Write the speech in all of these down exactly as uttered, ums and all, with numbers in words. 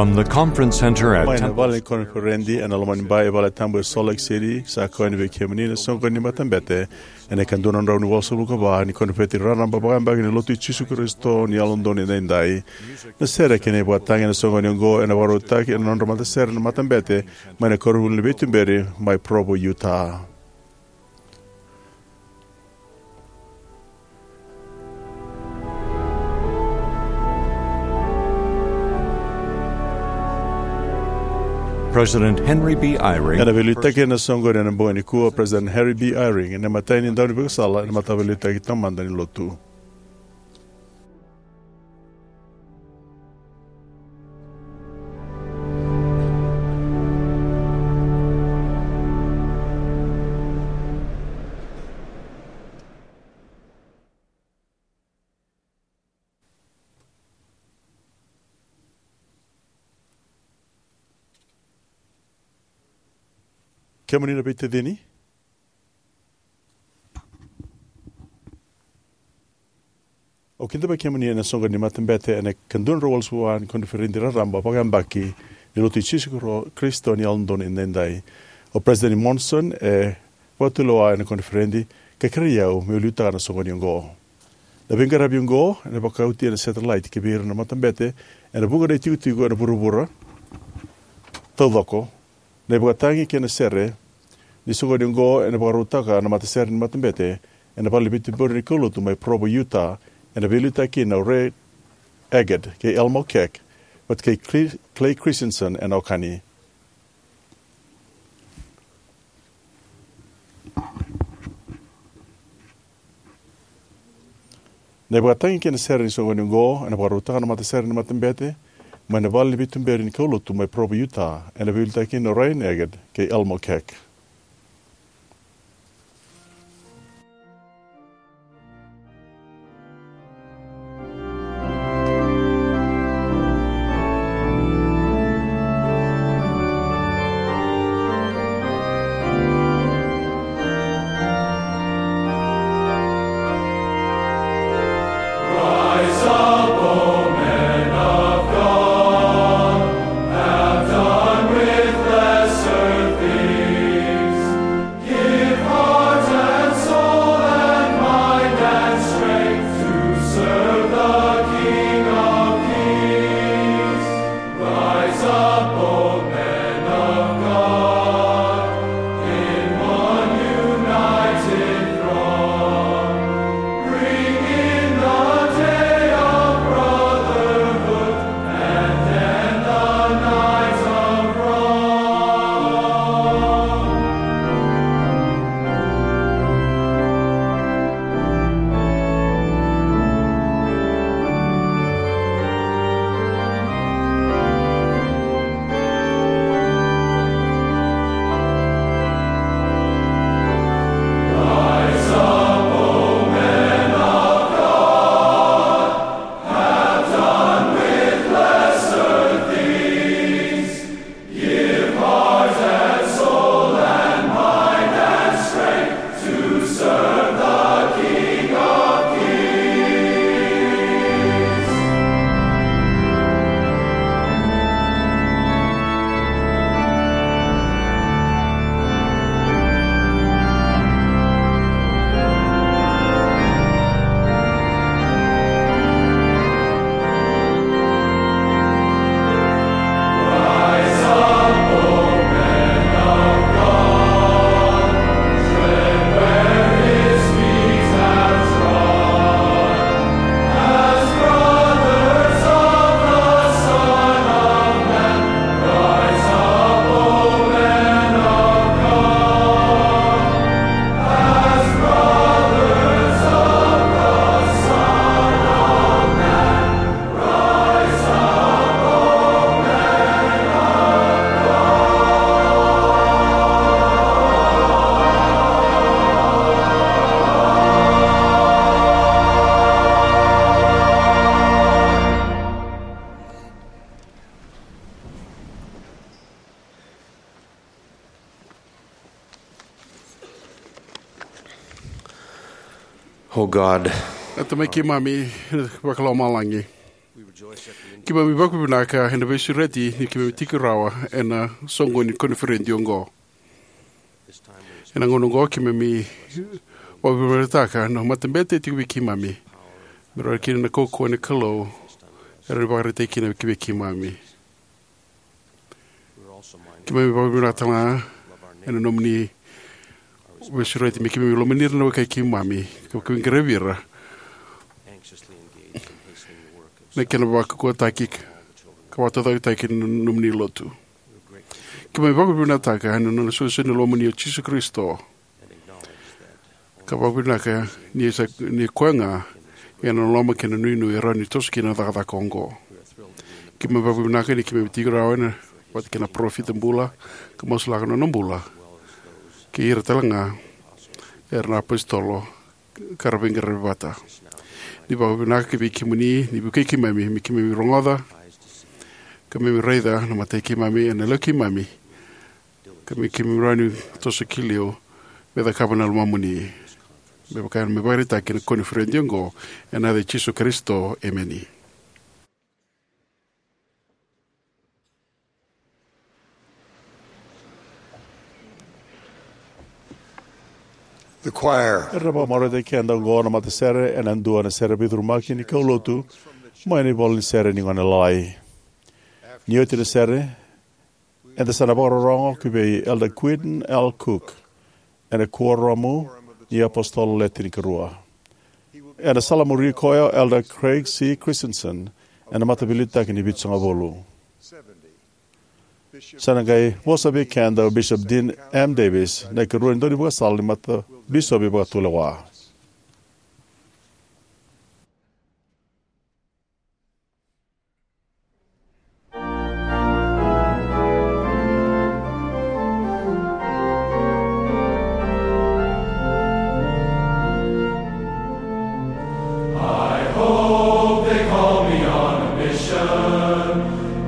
From the conference center at Mai na Temple vale ni koniferedi ena loma ni bai e Vale Tabu e Salt Lake City, sa koya ni vei kemuni na soqoni ni matabete ena ikadua na drau ni walusagavulu ka va ni koniferedi raraba vakayabaki ni Lotu i Jisu Karisito ni Yalododonu Edaidai. Na sere kei na ivakatagi ena soqoni oqo ena vakarautaki ena nodra matasere na matabete mai na koronivuli ni veituberi mai Provo, Utah. President Henry B. Eyring. Ena veiliutaki ena soqoni ena bogi nikua, President Henry B. Eyring ena imatai ni daunivakasala ena Mataveiliutaki Taumada ni Lotu. Kemuni na veitacini, au kidavaki kemuni ena soqoni ni matabete ena ikadua na drau walusagavulu ka va ni koniferedi raraba vakayabaki ni Lotu i Jisu Karo-, Karisito ni Yalododonu Edaidai. O President Monson e vakatulewa ena koniferedi ka kerei au meu liutaka na soqoni oqo. Na veiqaravi oqo ena vakauti ena satellite ki vei ira na matabete ena vuqa na itikotiko ena vuravura taucoko. Na ivakatagi kei na sere ni soqoni oqo ena vakarautaka na matasere ni matabete ena vale ni veituberi ni kaulotu mai Provo, Utah, ena veiliutaki kina o Ray Aggett kei Elmo Keck vata kei Cre-, Clay Christensen ena okani. Na ivakatagi kei na sere ni soqoni oqo ena vakarautaka na matasere ni matabete mai na vale ni veituberi ni kaulotu mai Provo, Utah, ena veiliutaki kina o Ryan Aggett kei Elmo Keck. Give heart and soul and mind and strength to serve the King of Kings. Rise up, O men of God, in one united throng. Bring in the day of brotherhood and end the night of wrong. Give heart and soul and mind and strength to serve the King of Kings. Oh God, na Tamai keimami vakalomalagi. Keimami vakavinavinaka ena veisureti ni keimami tiko rawa ena soqoni ni koniferedi oqo. Ena gauna oqo keimami vakavinavinakataka na matabete e tiko vei keimami, me rawa kina na kaukauwa ni Kalou era vakaraitaki kina vei keimami. Keimami vakavinavinaka talega ena nomuni veisureti me keimami lomani ira na wekai keimami, ka keimami qaravi ira na kena vakaukauwataki ka vakataucokotaki na nomuni lotu. Keimami vakavinavinakataka ena nona solisoli na Lomamuni o Jisu Karisito, ka vakavinavinaka ni sa, ni koya ga ena loloma kei na inuinui e rawa ni toso kina na cakacaka oqo. Keimami vakavinavinaka ni keimami tiko rawa ena vata kei na parofita bula, ka masulaka na nona bula, kei ira talega era na apositolo ka ra veiqaravi vata. Ni vakavinavinaka vei kemuni ni vukei keimami me keimami rogoca, ka keimami raica na matai keimami ena lewe keimami, ka me keimami rawa ni toso ki liu me cakava na lomamuni. Me vaka me vakaraitaki ena koniferedi oqo, ena yaca i Jisu Karisito, emeni. The choir. Era na vakamarautaki keda oqo na matasere ena dua na sere veicurumaki ni kaulotu mai na ivola ni sere ni Gone Lalai. Ni oti na sere, eda sa na vakarorogo ki vei Elder Quentin L. Cook ena Kuoramu ni iApositolo Le Tinikarua. Ena salamuri koya o Elder Craig C. Christensen ena Mataveiliutaki ni Vitusagavulu. Sa na qai vosa vei keda o Bishop Dean M. Davis, na ikarua ni daunivakasala ni Matabisopi Vakatulewa. I hope they call me on a mission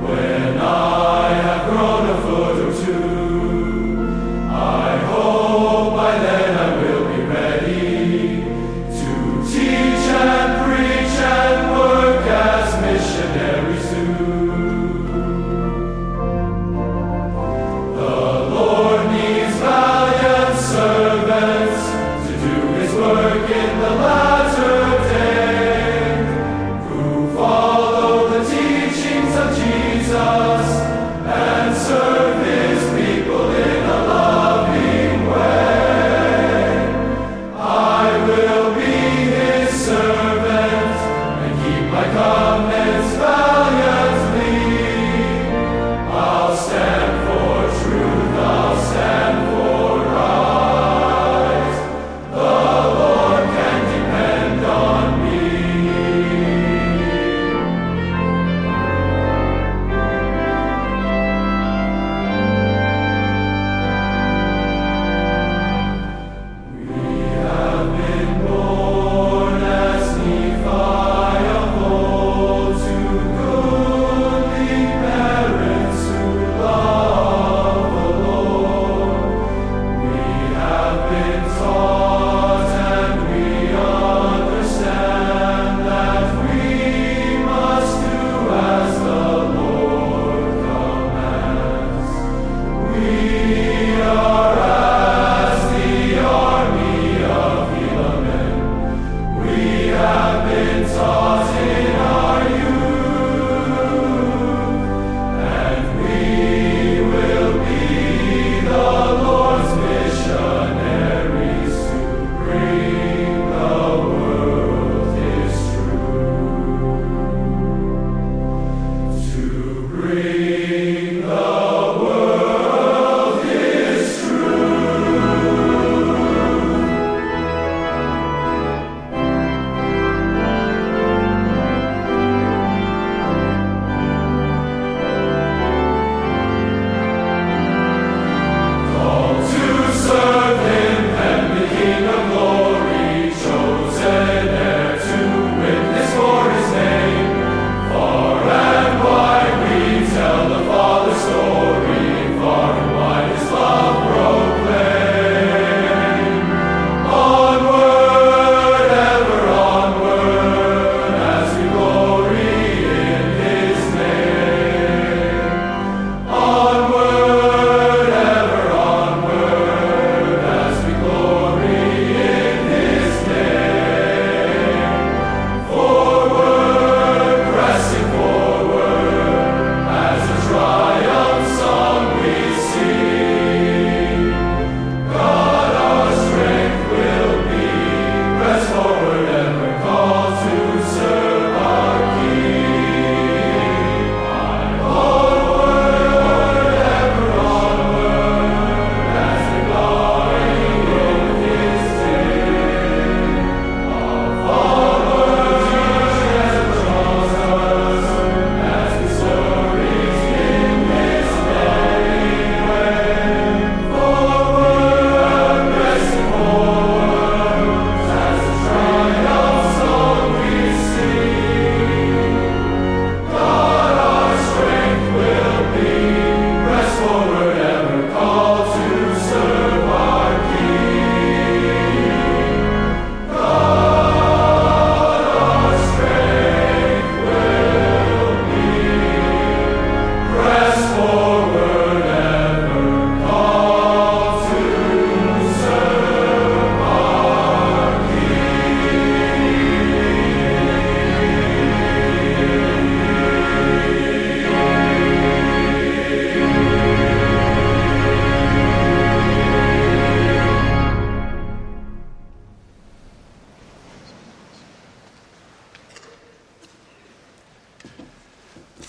when I have grown a foot or two. I hope by then I will be ready to teach and preach and work as missionaries do. The Lord needs valiant servants to do his work in the latter day, who follow the teachings of Jesus and serve his people in a loving way. I will be his servant and keep my covenants valiantly. I'll stand for truth, I'll stand for right. The Lord can depend on me. We have been born as Nephi of old to goodly parents who love the Lord. We have been taught and we understand that we must do as the Lord commands. We are as the army of Helaman. We have been taught in our youth, and we will be the Lord's missionaries to bring the world His truth. To bring the world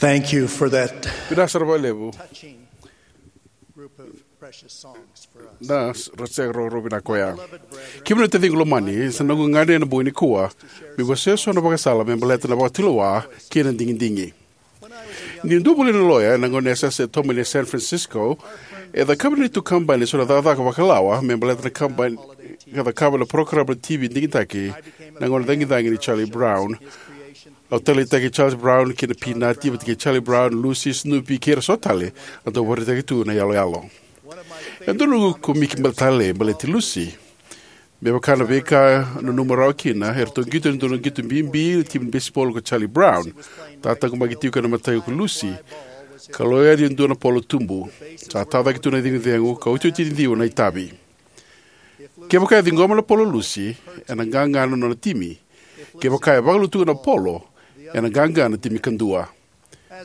Thank you for that. Vinaka sara vakalevu. Touching group of precious songs for us. Na s- ra sega rau vinaka koya. Kemuni na taciqu lomani, sa noqu gagadre ena bogi nikua meu wasea so na vakasala me baleta na vakatulewa kei na digidigi. Niu dau vuli na loya ena gauna ni yasayasa e tomani e San Francisco, e cakava na neitou kabani e so na cakacaka vakalawa me baleta na kabani ka cakava na parokaramu na T V digitaki, na gauna cagicagi ni Charlie Brown. Au taleitaki Charles Brown kei na Peanut, vata kei Charlie Brown, Lucy, Snoopy kei ira so tale. A dau vakaraitaki tu na iyaloyalo. E dua na noqu komiki baleta tale baleti Lucy. Me vaka na veika au nanuma rawa kina, eratou qito e dua na qito bibi na timi ni baseball ko Charlie Brown. Tataqomaki tiko ena imatai ko Lucy, ka lako yani e dua na polo tubu. Sa tacake tu na cegu, ka otioti ni ciwa na itavi. Kevaka e ciqoma na polo o Lucy, ena qaqa na nona timi. Kevaka e vakalutuka na polo, ena qaqa na timi kadua.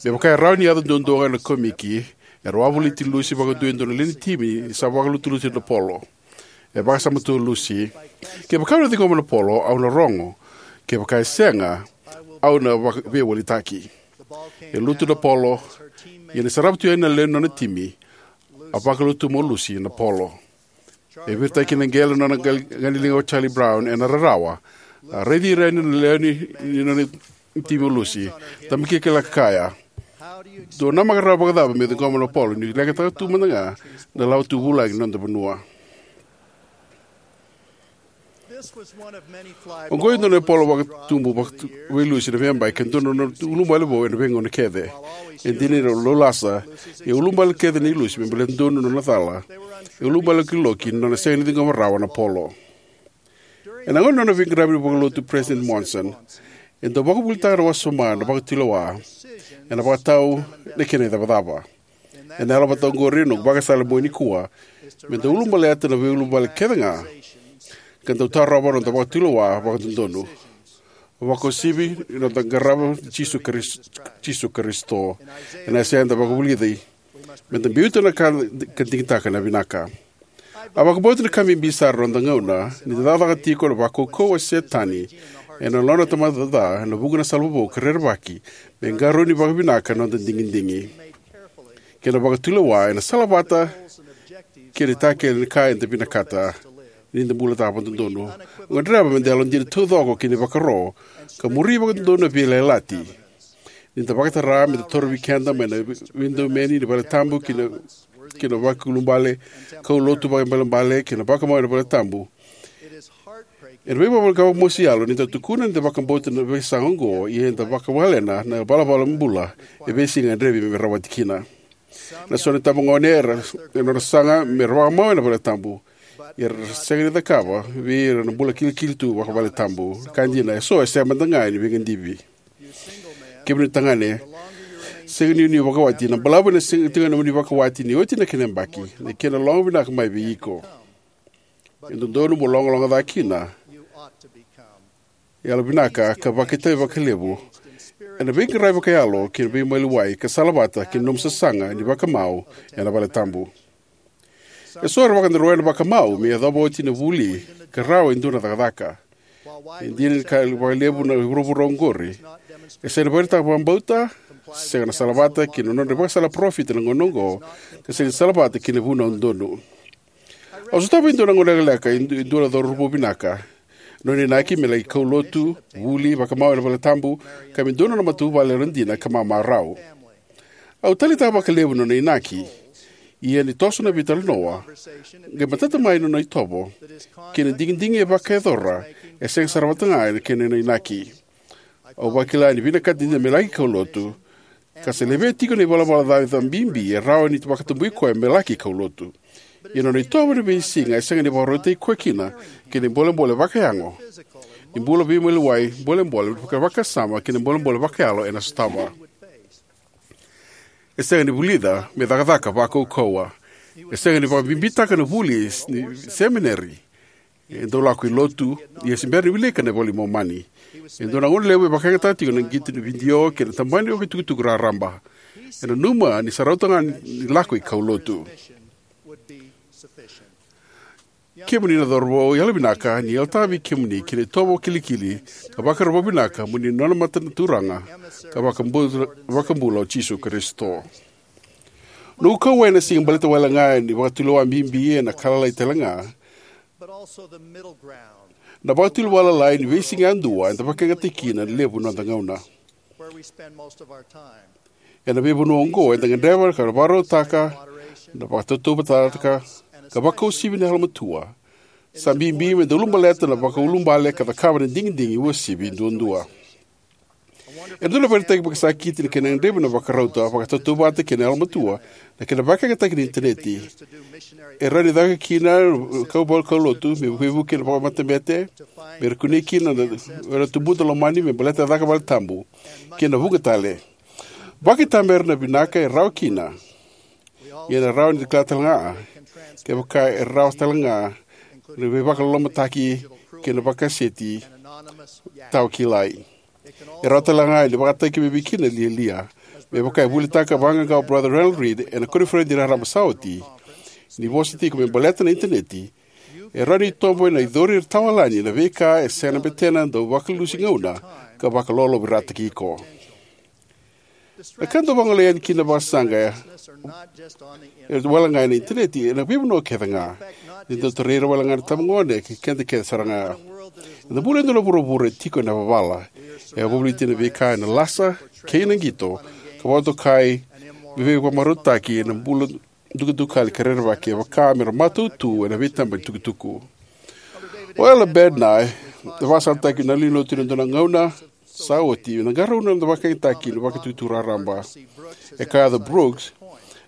Me vaka e rawa ni yaco duadua ga ena komiki, e rawa ni voliti Lucy vakadua e dua na lewe ni timi ni sa vakalutulutu na polo. E vakasama tu o Lucy, "Kevaka au na ciqoma na polo, au na rogo. Kevaka e sega, au na vaka- veiwalitaki." E lutu na polo, ia ni sarava tu yani na lewe ni nona timi, a vakalutuma o Lucy na polo. E viritaki na qele na nona gal- ganeliga o Charlie Brown ena rarawa. A raici ira yani na lewe ni, ni nona timi o Lucy. Tabakikilaka kaya, "Dou namaka rawa vakacava meu ciqoma na polo niu lekataka tu mada ga na lawa tu vulagi ni noda vanua?" Oqo e dua na polo vakatubu vakatu- vei Lucy na veiyabaki, ka dua na nona ulubale vou ena veigauna kece. E dina ni rau laulasa, e ulubale kece nei Lucy me baleta donu na nona cala. E ulubale lokiloki na nona sega ni ciqoma rawa na polo. Ena gauna ni nona veiqaravi vakalotu o President Monson, e dau vakavuvulitaka na wasoma na vakatulewa ena vakatau na kena icavacava. Ena yalovata oqori na noqu vakasala ena bogi nikua, me da ulubaleta na veiulubale kece ga, ka dau tarova na noda vakatulewa vakadodonu. Vakauasivi na noda qarava Jisu Karis- Jisu Karisito. Ena yasana eda vakavulici, me da biuta na ka ka digitaka na vinaka. A vakabauta na ka bibi sara ena noda gauna ni da cakacaka tiko na vakaukauwa o Setani ena nona tamata ca ena vuqa na sala vovou ka rerevaki me qarauni vakavinaka na noda digidigi kei na vakatulewa ena sala vata kei na itakele ni ka eda vinakata ni da bulataka vakadodonu. Gadreva me da yalodina taucoko ki na ivakaro ka muri vakadodonu na veiyalayalati. Ni da vakatara me da torovi keda mai na veidomoni ni valetabu ki na, ki na vakaiulubale, kaulotu vakaibalebale, kei na vakamau ena valetabu. Ena veivakamosi yalo ni da tukuna ni da vakabauta na veisaqa oqo, ia eda vakawalena na ivalavala ni bula e veisiga e gadrevi me rawati kina. Na so na itabagone era, e nodra sasaga me ra vakamau ena valetabu, ia era sega ni cakava vei ira na bula kilikili tu vakavaletabu. Na ka dina, e so e sega mada ga ni veigadivi. Kemuni tagane, sega ni o ni vakawati, na balavu ena sega tiko ni o ni vakawati ni oti na kena yabaki, na kena logo vinaka mai vei iko. E dodonu mo logaloga ca kina, yalovinaka ka vakaitavi vakalevu ena veiqaravi vakayalo kei na veimaliwai ka sala vata kei na nomu sasaga ni vakamau ena valetabu. E so era vakadarua ena vakamau me yacova oti na vuli ka rawa e dua na cakacaka. E dina ni kaya vakalevu na vuravura oqori, e sega ni vakaraitaka vakabauta, sega na sala vata kei na nodra ivakasala parofita ena gauna oqo, ka sega ni sala vata kei na vunau donu. Au sotava e dua na gauna lekaleka e du- e dua na cauravou vinaka. Nona inaki me laki kaulotu, vuli, vakamau ena valetabu, ka me dua na nona matavuvale yalodina ka mamarau. Au taleitaka vakalevu na nona inaki. Ia ni toso na veitalanoa, qai matata mai na nona itovo kei na digidigi e vakayacora e sega sara vata ga na kena inaki. Au vakila ni vinakata dina me laki kaulotu, ka sa levea tiko na ivalavala ca bibi e rawa ni vakatabui koya me laki kaulotu. Ia na nona itovo ena veisiga e sega ni vakarautaki koya kina kei na bolebole vakayago ni bula veimaliwai, bolebole vakasama kei na bolebole vakayalo ena sotava. E sega ni vulica me cakacaka vakaukauwa. E sega ni vakabibitaka na vuli ni semineri. E dau lako i lotu, ia se bera ni wilika na iVola i Momani. E dua na gauna levu e vakayagataka tiko na qito ni vidio kei na tabana ni okatukutuku raraba. E nanuma ni sa rauta ga ni lako i kaulotu. Kemuni na cauravou, yalovinaka ni yalataka vei kemuni kina itovo kilikili ka vakarau vakavinaka mo ni nona mata na Turaga ka vakabula, vakabula o Jisu Karisito. Noqu kauwai ena siga baleta wale ga ni vakatulewa bibi ena ka lalai tale ga, na vakatulewa lalai ni veisiga yadua eda vakayagataki kina na levu ni noda gauna. Ena veivanua oqo eda gadreva ka vakarautaka, na vakatautauvatataka, ka vakausivi na yalomatua. Sa bibi meda ulabaleta na vakaulubale ka cakava na digidigi uasivi duadua. E dua na ivakaraitaki vakasakiti na kena gadrevi na vakarauta, vakatautauvata kei na yalomatua na kena vakayagataki na initaneti. E rawa ni caka kina na kau vakalotu me veivuke na vakamatabete, me ra kunei kina na, na tubuda lomani me baleta na caka valetabu kei na vuqa tale. Vakaitamera na vinaka e rawa kina. Ia ena rawa ni da kila tale ga kevaka e rawa tale ga na veivakalolomataki kei na vakaseti tawa kilai. E rawa tale ga ni vakataki mai vei kina na lialia, me vaka e volitaka vaqaqa o Brother Ronald Reed ena koniferedi raraba sa oti, ni vosa tiko me baleta na initaneti. E rawa ni tobo ena icori tawalani na veika e sega na betena dau vakalesuya gauna ka vakalolovirataki iko. Na ka dau vagolei yani kina na vakasaqa e wale ga ena initaneti, ena veivanua kece ga. Ni dau tarai ira wale ga na itabagone kei keda kece sara ga. Eda bula ena dua na vuravura e tiko ena vavala. E wavoliti na veika ena lasa kei na qito, ka vakatokai me veivakamarautaki ena bula dukadukali ka rerevaki, e vaka me ra matau tu ena veitaba ni tukutuku. O Elder Bednar e vakasalataki na lewenilotu ena dua na gauna sa oti na qarauna na vakayagataki na vakatukutuku raraba. E kaya o Brooks,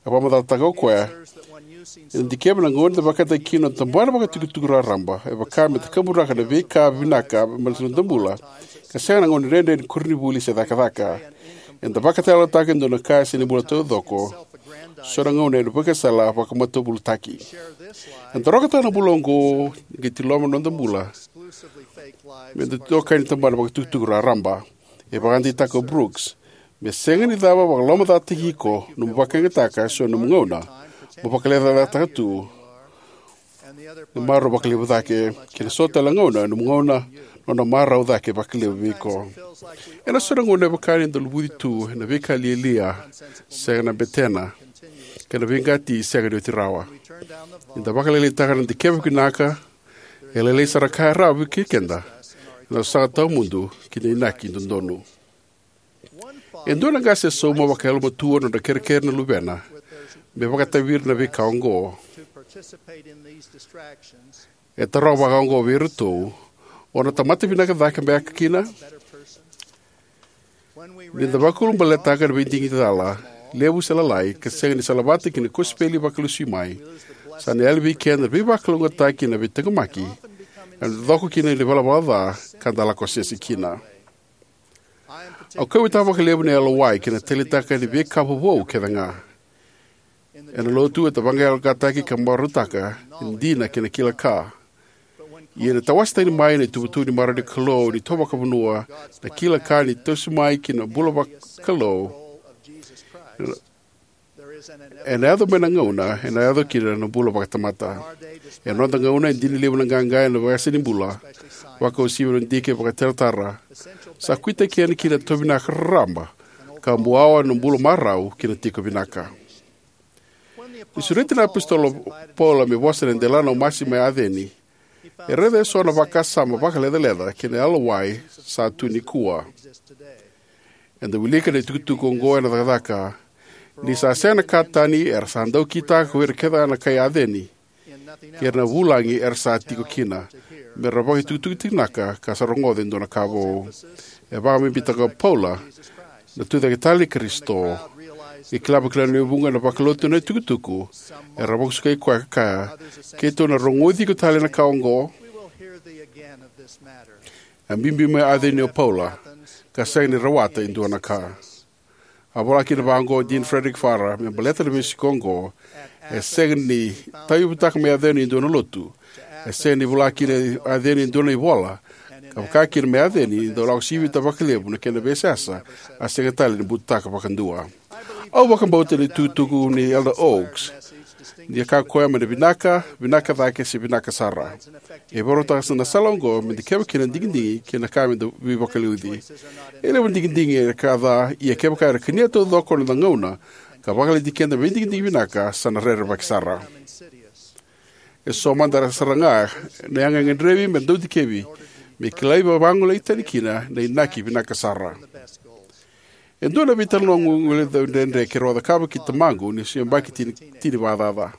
e vakamacalataka o koya, ena dikeva na gauna eda vakayagataki kina na tabana vakatukutuku raraba, e vaka me takaburaka na veika vinaka mai na noda bula, ka sega na gauna dredre ni koronivuli se cakacaka. Eda vakatayalataka e dua na ka e sega ni bula taucoko, so na gauna ena vakasala vakamatavulotaki. Eda rokataka na bula oqo ni qai tiloma na noda bula me da dokai ni tabana vakatukutuku raraba. E vakadeitaka o Brooks, me sega ni cava vakalomacataki iko nomu vakayagataka eso na nomu gauna mo vakalecayacataka tu na marau vakalevu cake, kei na so tale na gauna, na nomu gauna, nona marau cake vakalevu vei iko. Ena so na gauna e vaka ni da luvuci tu ena veika lialia sega na betena, kei na veiqati sega ni oti rawa. Ni da vakalailaitaka na dikeva vinaka, e lailai sara na ka e rawa vei keda ena sasaga tawamudu ki na inaki dodonu. E dua na qase e sauma vakayalomatua na nodra kerekere na luvena me vakatavi ira na veika oqo. E tarova vakaoqo vei iratou: O na tamata vinaka cake beka kina? Ni da vakaulubaletaka na veidigitaka levu se lalai ka sega ni salavata kei na kosipeli vakalesui mai, sa na yali vei keda na veivakalougatataki, na veitaqomaki, ena coko kina na ivalavala ca ka da lako sese kina. Au kauwaitaka vakalevu na yalowai kei na taleitaka ni veika vovou kece ga. Ena lotu eda vaqaqacotaki ka marautaka na dina kei na kila ka. Ia ni tawase tani mai na ituvatuva ni marau ni Kalou ni tovakavanua, na kila ka ni toso mai ki na bula vakalou, ena yaco mai na gauna ena yaco kina na bula vakatamata. Ena noda gauna e dina levu na qaqa ena veiyasa ni bula, vakauasivi na dike vakaitaratara. Sa kuitaki yani kina na tauvinaka raraba ka buawa na bula marau kei na tiko vinaka. Ni sureti na iapositolo o Paula me vosa ena delana o Masi mai Aceni, e raica eso na vakasama vakalecaleca kei na yalowai sa tu nikua. Eda wilika na itukutuku oqo ena cakacaka: Ni sa sega na ka tani, era sa dau kitaka ko ira kece na kai Aceni kei ira na vulagi era sa tiko kina, me ra vakaitukutuku tiko vinaka ka sa rogoca e dua na ka vou. E vakabibitaka o Paula na Tucaketale i Karisito. E kila vakalevu na lewe vuqa na vakalotu na itukutuku era vakasukai koya ka kaya: Keitou na rogoci iko tale ena ka oqo. A biubiu mai Aceni o Paula ka sega ni rawata e dua na ka. A vola kina vaqo o Dean Frederic Farrar me baleta na veisiko oqo: E sega ni tauyavutaka mai Aceni e dua na lotu. E sega ni vola kina Aceni e dua na ivola ka vaka kina mai Aceni, dau lako sivita vakalevu na kena veiseyasa, a sega tale ni butaka vakadua. Au vakabauta na itukutuku nei Elder Oaks Ni a kaya o koya mai na vinaka, vinaka cake se vinaka sara. E vakarautaka na sala oqo me da keva kina na digidigi kei na ka me da veivakaliuci. E levu na digidigi era ka ca, ia kevaka era kania taucoko na noda gauna ka vakalailai keda me veidigidigi vinaka, sa na rerevaki sara. E so mada sara ga na yaga e gadrevi me da dikevi me kilai vagolei tani kina na inaki vinaka sara. E dua na veitalanoa guilecavi dredre keirau a cakava kei tamaqu niu se yabaki tini, tini vakacaca.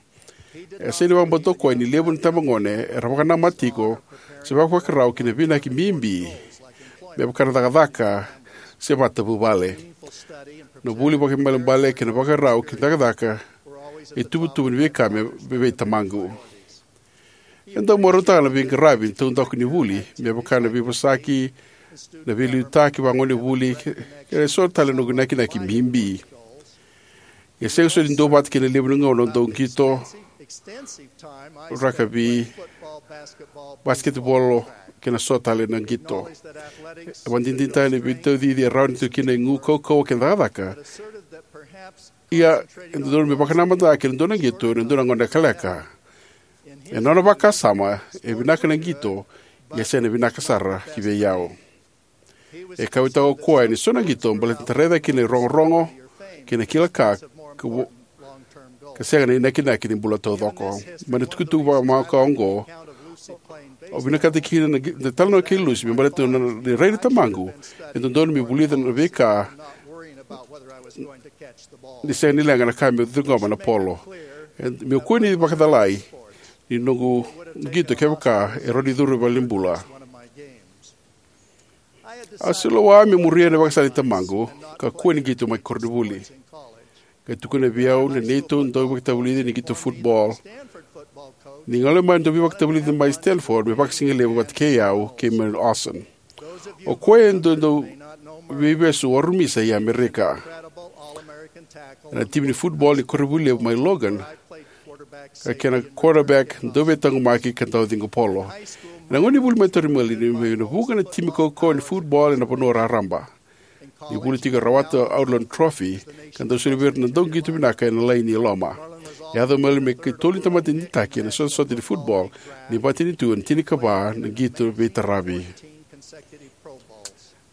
E sega ni vakabauta o koya ni levu na itabagone era vakanamata tiko se vakavakarau ki na veiinaki bibi, me vaka na cakacaka se matavuvale. Na vuli vakaibalebale kei na vakarau ki na cakacaka e tuvatuva ni veika me, me vei tamaqu. E dau marautaka na veiqaravi ni taudaku ni vuli, me vaka na veivosaki, na veiliutaki vagonevuli, kei na so tale na noqu inakinaki bibi. E sega soti ni duavata kei na levu ni gauna dau qito, rakavi, basiketibolo, kei na so tale na qito. E vakadinadinataka ni veitaucici e rawa ni tu kina igu, kaukauwa kei na cakacaka. Ia, e dodonu me vakanamata kei na dua na qito ena dua na gauna lekaleka. Ena nona vakasama, e vinaka na qito, ia sega ni vinaka sara ki vei au. E kauwaitaka o koya ni so na qito baleta ni da raica kina na irogorogo kei na kila ka, ka vo-, ka sega na inakinaki ni bula taucoko. Mai na itukutuku vakamakawa oqo, au vinakata kina na qi-, na talanoa kei Lucy me baleta na, na rai ni tamaqu e dodonu me vulica na veika ni sega ni leqa na ka me ciqoma na polo. E, meu kua ni vakacalai ni noqu qito kevaka e rawa ni curu e valenibula. A solowa me muria na vakasala ni tamaqu ka kua ni qito mai koronivuli. Qai tukuna vei au na neitou dauveivakatavulici ni qito futbol ni gole mai na dauveivakatavulici mai Stanford me vakasigalevu vata kei au kei Merlin Olsen. O koya e dau, dau veivesu o Arumisa i Amerika. Ena timi ni futbol ni koronivuli levu mai Logan, ka kena quarterback dau veitaqomaki ka dau ciqo polo. Ena gauna ni vuli mai o Merlin, e vuqa na timi kaukauwa ni futbol ena vanua raraba. Ni vuli tiko e rawata na Outland Trophy, ka dau soli vei ira na dauqito vinaka ena laini e loma. E yaco o Merlin me ikatolu ni tamata digitaki ena sotasota ni futbol ni vakamatanitu ena tinikava na qito veitaravi.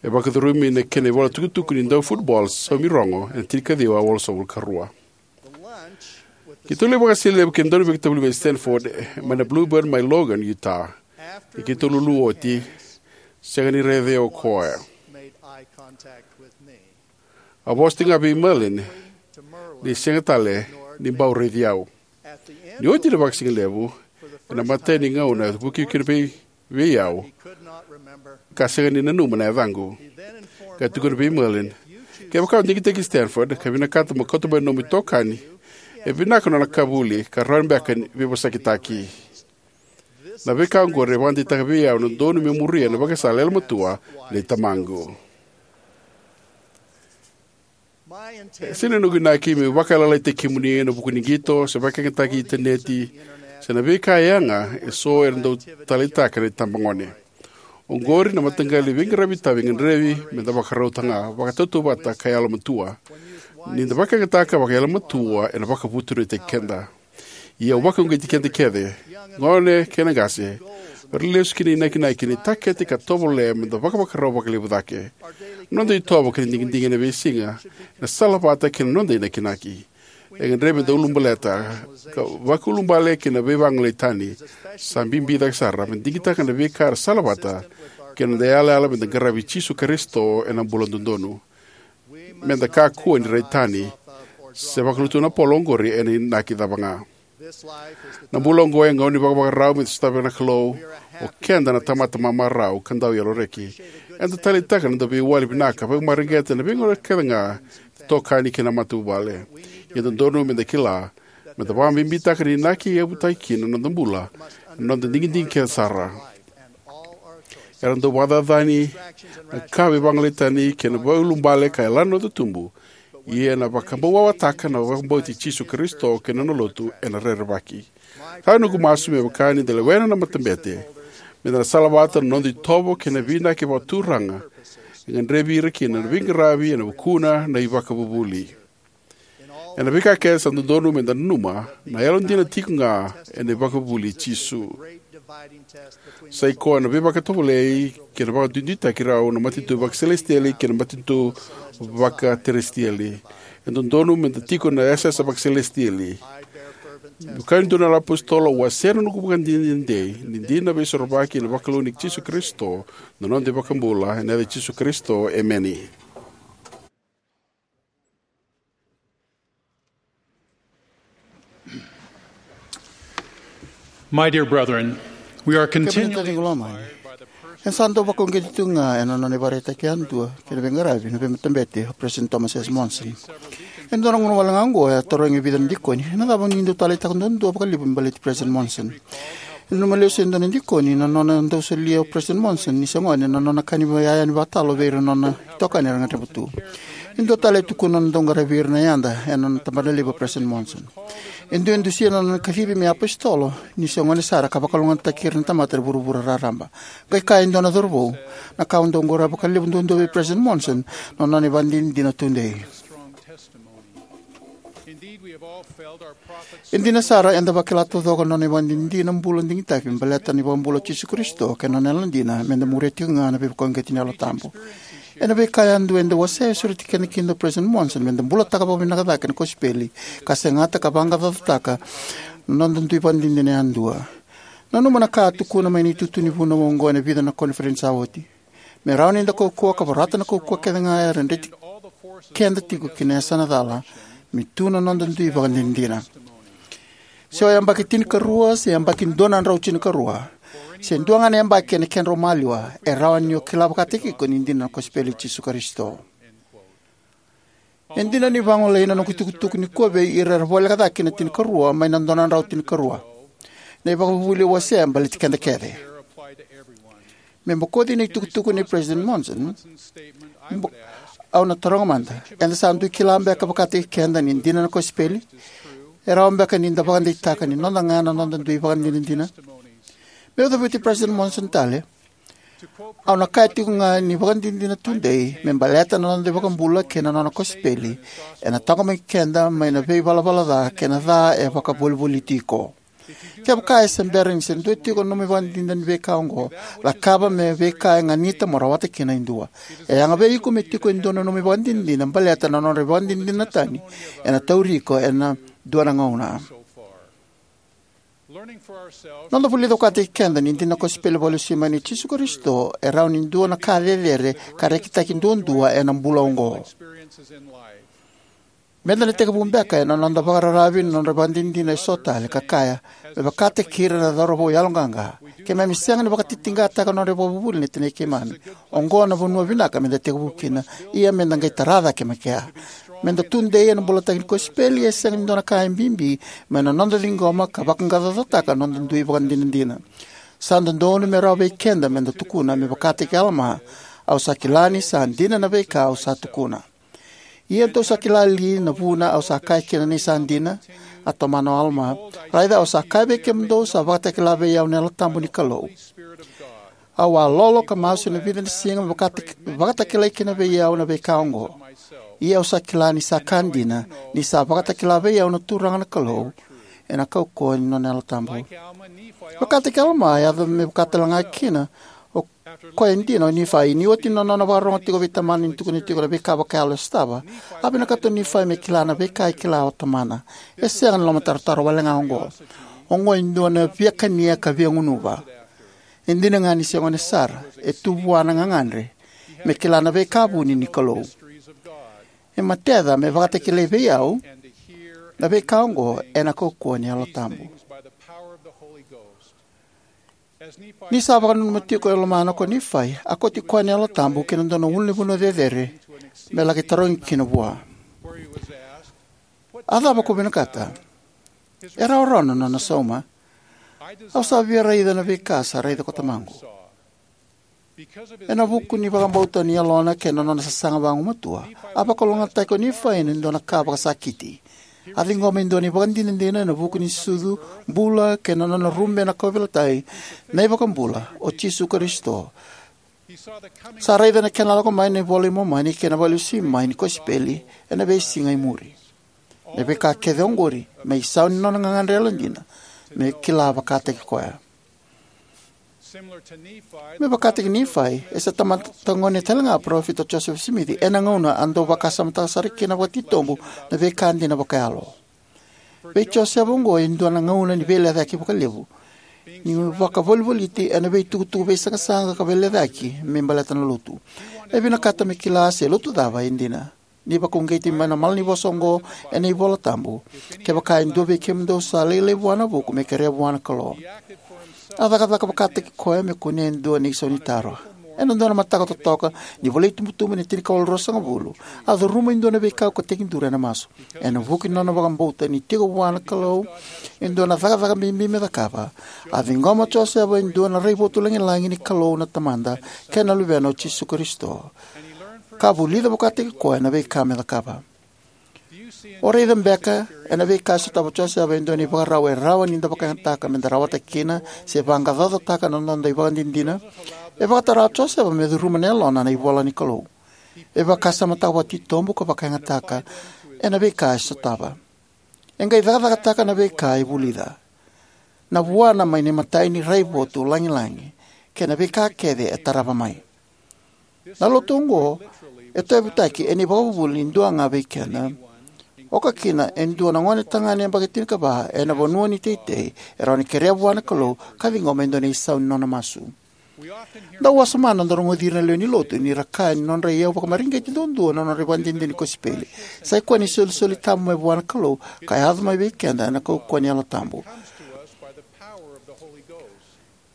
E vakacurumi na kena ivolatukutuku ni daufutbol saumi rogo ena tinikaciwa walusagavulu ka rua. Keitou lai vakasigalevu kei na dauveivakatavulici mai Stanford, e, mai na Bluebird mai Logan, Utah. Ni keitou lulu oti, sega ni raici au o koya. A vosa tiko ga vei Merlin ni sega tale ni bau raici au. Ni oti na vakasigalevu, ena imatai ni gauna e vukivuki kina vei, vei au, ka sega ni nanuma na yacaqu. Ka tukuna vei Merlin, kevaka o digitaki Stanford ka vinakata mo kauta mai na nomu itokani, e vinaka na nona ka vuli ka rawa beka ni veivosakitaki. Na veika oqori e vakadeitaka vei au na dodonu meu muria na vakasala yalomatua nei tamaqu. E sega ni noqu inaki meu vakayalayalati kemuni ena vuku ni qito se vakayagataki itaneti se na veika e yaga e so era dau taleitaka na itabagone. Oqori na mataqali veiqaravi tabu e gadrevi me da vakarautaka ga, vakatautauvata ka yalomatua. Ni da vakayagataka vakayalomatua, ena vakavutuniyaitaki keda. Ia au vakauqeti keda kece, gone kei na qase, me ra lesu ki na inakinaki ni takete ka tovolea me da vakavakarau vakalevu cake. Na noda itovo kei na digidigi ena veisiga ena salavata kei na noda inakinaki. E gadrevi me da ulubaleta ka vakaulubale kei na veivagolei tani. Sa bibi cake sara me da digitaka na veika era salavata kei na noda yalayala me da qaravi Jisu Karisito ena bula dodonu. Me da kakua ni rai tani se vakalutu na polo oqori ena inaki cava ga. Na bula oqo e gauna ni vakavakarau me da sotavi na Kalou. O keda na tamata mamarau ka dau yaloreki. Eda taleitaka na noda veiwali vinaka, vakamareqeta na veigauna kece ga, itokani kei na matavuvale. Ia e dodonu me da kila me da vakabibitaka na inaki e yavutaki kina na noda bula ena noda digidigi kece sara. Era dau vakacacani na ka veivagolei tani kei na vakaulubale ka yalana na noda tubu. Ia ena vakabauawataka na vakabauti Jisu Karisito kei na nona lotu ena rerevaki. Sa noqu masu me vaka ni da lewena na matabete, me da na salavata na noda itovo kei na veiinaki vakaturaga e gadrevi ira kina na veiqaravi ena vukuna na iVakavuvuli. Ena veika kece sa dodonu meda nanuma, na yalodina tiko ga ena ivakavuvuli i Jisu. Sa i koya na veivakatovolei kei na vakaduiduitaki rau na matanitu vakaselesitieli kei na matanitu vakateresitieli. E dodonu meda tiko na yasayasa vakaselesitieli. Me kaya e dua na apositolo, au wasea na noqu ivakadinadina dei ni dina na Veisorovaki ena vakalou nei Jisu Karisito, na noda iVakabula, ena yaca i Jisu Karisito, emeni. My dear brethren, we are Kemuni continually taciqu lomani, e sa dau vakauqeti tu ga ena nona ivakaraitaki yadua kei na veiqaravi na veimatabete o President Thomas S. Monson. Ena dua na gauna wale ga oqo e a tarogi e vica na dikoni, na cava o ni dau taleitaka duadua vakalevu me baleti President Monson? E nanuma lesu e dua na dikoni na nona dau solia o President Monson ni se gone na nona ka ni iyaya ni vakatalo vei ira na nona itokani era gadreva tu. E dua tale e tukuna na nona dau qaravi ira na yada ena nona tabanalevu o President Monson. E dua e dusia na nona kacivi me apositolo ni se gone sara ka vakalougatataki ira na tamata e vuravura raraba. Qai kaya e dua na cauravou, na ka au dau qoroya vakalevu duadua vei President Monson na nona ivakadinadina tudei. E dina sara, eda vakila taucoko na nona ivakadinadina bula digitaki me baleta na iVakabula o Jisu Karisito kei na nona yalodina meda muria tiko ga na veivakauqeti ni Yalo Tabu. Ena veika yadua eda wasea, e sureti keda kina o President Monson meda bulataka vakavinaka cake na kosipeli ka segata ka vaqaqacotaka na noda dui ivakadinadina yadua. Nanuma na ka a tukuna mai na itutu ni vunau oqo ena vica na koniferedi sa oti. Me rawa ni da kaukauwa ka vorata na kaukauwa kece ga era dreti keda tiko ki na yasana cala, me tu na noda dui ivakadinadina. Se o yabaki tinikarua se yabaki dua na drau tinikarua, se dua ga na yabaki ena kedrau maliwa, e rawa ni o kila vakataki iko ni dina na kosipeli i Jisu Karisito. E dina ni vagolei na noqu itukutuku nikua vei ira era voleka cake ki na tinikarua mai na dua na drau tinikarua. Na ivakavuvuli au wasea e baleti keda kece. Me bokoci na itukutuku nei President Monson, bo-, au na taroga mada, eda sa dui kila beka vakataki keda ni dina na kosipeli? E rawa beka ni da vakadeitaka ni noda ga na noda dui ivakadinadina? Meu cavuti President Monson tale, au na kaya tiko ga ni ivakadinadina tudei me baleta na noda iVakabula kei na nona kosipeli, ena taqomaki keda mai na veivalavala ca kei na ca e vakavolivoliti iko. Kevaka e se bera ni se dua tiko na nomu ivakadinadina ni veika oqo, cakava me veika e ganita mo rawata kina e dua. E yaga vei iko me tiko e dua na nomu ivakadinadina baleta na nodra ivakadinadina tani ena tauri iko ena dua na gauna. Noda vulica vakataki keda ni dina na kosipeli vakalesui mai nei Jisu Karisito e rawa ni dua na ka cecere ka rekitaki duadua ena bula oqo. Meda na tekivu beka ena noda vakararavi na nodra ivakadinadina eso tale ka kaya, me vakataki ira na cauravou yaloqaqa, keimami sega ni vakatitiqataka na nodra ivakavuvuli na tinai keimami. Oqo na vanua vinaka meda tekivu kina, ia meda qai tara cake mai kea. Meda tudei ena bulataki ni kosipeli, e sega ni dua na ka e bibi mai na noda ciqoma ka vaqaqacotaka na noda dui ivakadinadina. Sa dodonu me rawa vei keda meda tukuna me vakataki Alama, au sa kila ni sa dina na veika au sa tukuna. Ia dou sa kila li na vuna au sa kaya kina ni sa dina? A tomana o Alama, raica, au sa kaya vei kemudou, sa vakatakila vei au na Yalo Tabu ni Kalou. Au a lolo ka masu ena vica na siga me vakataki-, vakatakilai kina vei au na veika oqo. Ia au sa kila ni sa ka dina, ni sa vakatakila vei au na Turaga na Kalou ena kaukauwa ni nona Yalo Tabu. Vakataki Alama, e yaco me vaka tale ga kina o koya e dina o Nifai. Ni oti na nona vakarorogo tiko vei tamana ni tukuna tiko na veika vakayalo e sotava, a vinakata o Nifai me kila na veika e kila o tamana. E sega ni lomatarotaro wale ga oqo. Oqo e dua na via kania ka via gunuva. E dina ga ni se gone sara, e tu vua na gagadre me kila na veika vuni ni Kalou. E mateca me vakatakilai vei au na veika oqo ena kaukauwa ni Yalo Tabu. Ni sa vakananuma tiko e lomana ko Nifai, a kauti koya na Yalo Tabu ki na dua na ulunivanua cecere me laki tarogi kina vua. A cava ko vinakata? E rawarawa na nona sauma. Au sa via raica na veika sa raica ko tamaqu. Ena vuku ni vakabauta ni yalona kei na nona sasaga vagumatua, a vakalougatataki o Nifai ena dua na ka vakasakiti. A ciqoma e dua na ivakadinadina ena vuku ni sucu, bula, kei na nona rube na kauveilatai na iVakabula, o Jisu Karisito. Sa raica na kena lako mai na iVola i Momani kei na vakalesui mai ni kosipeli ena veisiga e muri. Na veika kece oqori me isau ni nona gagadre yalodina me kila vakataki koya. Me vakataki Nifai, e se tamata gone talega o Parofita Josefa Simici ena gauna a dau vakasamataka sara kina vakatitobu na veika dina vakayalo. Vei Josefa oqo e dua na gauna ni veilecayaki vakalevu, ni vakavolivoliti ena veitukutuku veisaqasaqa ka veilecayaki me baleta na lotu. E vinakata me kila se lotu cava e dina. Ni vakauqeti mai na malanivosa oqo ena iVola Tabu: Kevaka e dua vei kemudou sa lailai vua na vuku, me kerea vua na Kalou. A cakacaka vakataki koya me kunea e dua na isau ni taro. Ena dua na mataka totoka ni vulaitubutubu ena tinikawalu ruasagavulu, a curuma e dua na veikau ka tekiduru ena masu. Ena vuku ni nona vakabauta ni tiko vua na Kalou e dua na cakacaka bibi me cakava, a ciqoma o Josefa e dua na raivotu lagilagi ni Kalou na Tamada kei na Luvena o Jisu Karisito, ka vulica vakataki koya na veika me cakava. O raica beka ena veika e sotava o Josefa e dua na ivakarau e rawa ni da vakayagataka me da rawata kina se vaqaqacotaka na noda ivakadinadina? E vakatara o Josefa me curuma na yalona na ivola ni Kalou. E vakasamataka vakatitobu ka vakayagataka ena veika e sotava. E qai cakacakataka na veika e vulica, na vuana mai na imatai ni raivotu lagilagi, kei na veika kece e tarava mai. Na lotu oqo e tauyavutaki ena ivakavuvuli ni dua ga vei keda, oka kina e dua na gonetagane yabaki tinikava ena vanua ni teitei e rawa ni kerea vua na Kalou ka ciqoma e dua na isau ni nona masu. Dau wasoma na noda rogoci ira na lewe ni lotu ni ra kaya ni nodra iyau vakamareqeti duadua na nodra ivakadinadina ni kosipeli. Sai koya na isolisoli tabu mai vua na Kalou ka yaco mai vei keda ena kaukauwa ni Yalo Tabu.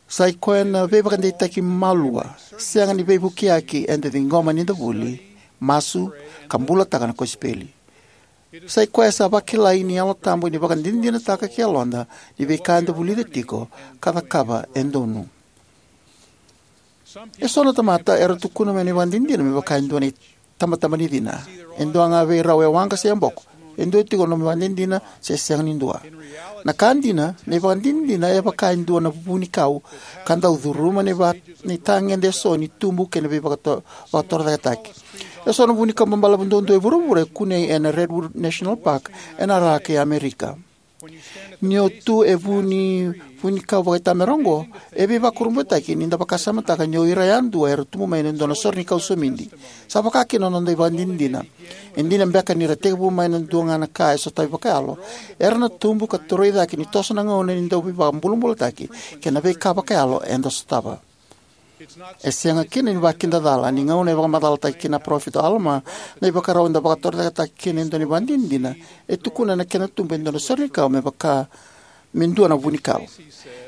Sai koya na veivakadeitaki malua, sega ni veivukiyaki eda ciqoma ni da vuli, masu, ka bulataka na kosipeli. Sai koya sa vakilai ni Yalo Tabu ni vakadinadinataka ki yaloda ni veika eda vulica tiko ka cakava e donu. Eso na tamata era tukuna mai na ivakadinadina me vaka e dua na itabataba ni cina. E dua ga vei rau e waqa se e boko. E dua tiko na nomu ivakadinadina se sega ni dua. Na ka dina, na ivakadinadina e vaka e dua na vunikau ka dau curuma na iva-, na itagede eso ni tubu kei na veivakato-, vakatorocaketaki. Eso na vunikau babalavu duadua e vuravura e kunei ena Redwood National Park ena ra kei Amerika. Ni o tu e vu ni vunikau vakaitamera oqo, e veivakurabuitaki ni da vakasamataka ni o ira yadua era tubu mai ena dua na sore ni kau somidi. Sa vaka kina na noda ivakadinadina. E dina beka ni ra tekivu mai na dua ga na ka e sotavi vakayalo, era na tubu ka toroi cake ni toso na gauna ni dau veivakabulabulataki kei na veika vakayalo eda sotava. E sega kina ni vakidacala ni gauna e vakamacalataka kina na parofita o Alama na ivakarau eda vakatorocaketaka kina e dua na ivakadinadina, e tukuna na kena tubu e dua na sore ni kau me vaka me dua na vunikau.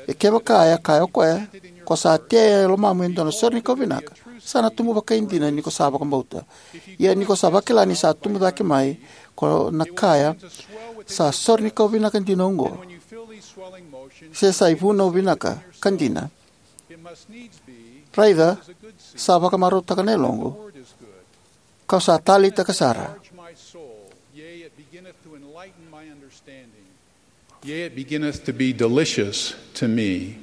E kevaka, e a kaya o koya, ko sa tea e lomamu e dua na sore ni kau vinaka, sa na tubu vakaidina ni ko sa vakabauta. Ia ni ko sa vakila ni sa tubu cake mai, ko na kaya, sa sore ni kau vinaka dina oqo, se sa ivunau vinaka ka dina. Raica, sa vakamarautaka na yaloqu, kau sa taleitaka sara. Yea, it beginneth to be delicious to me.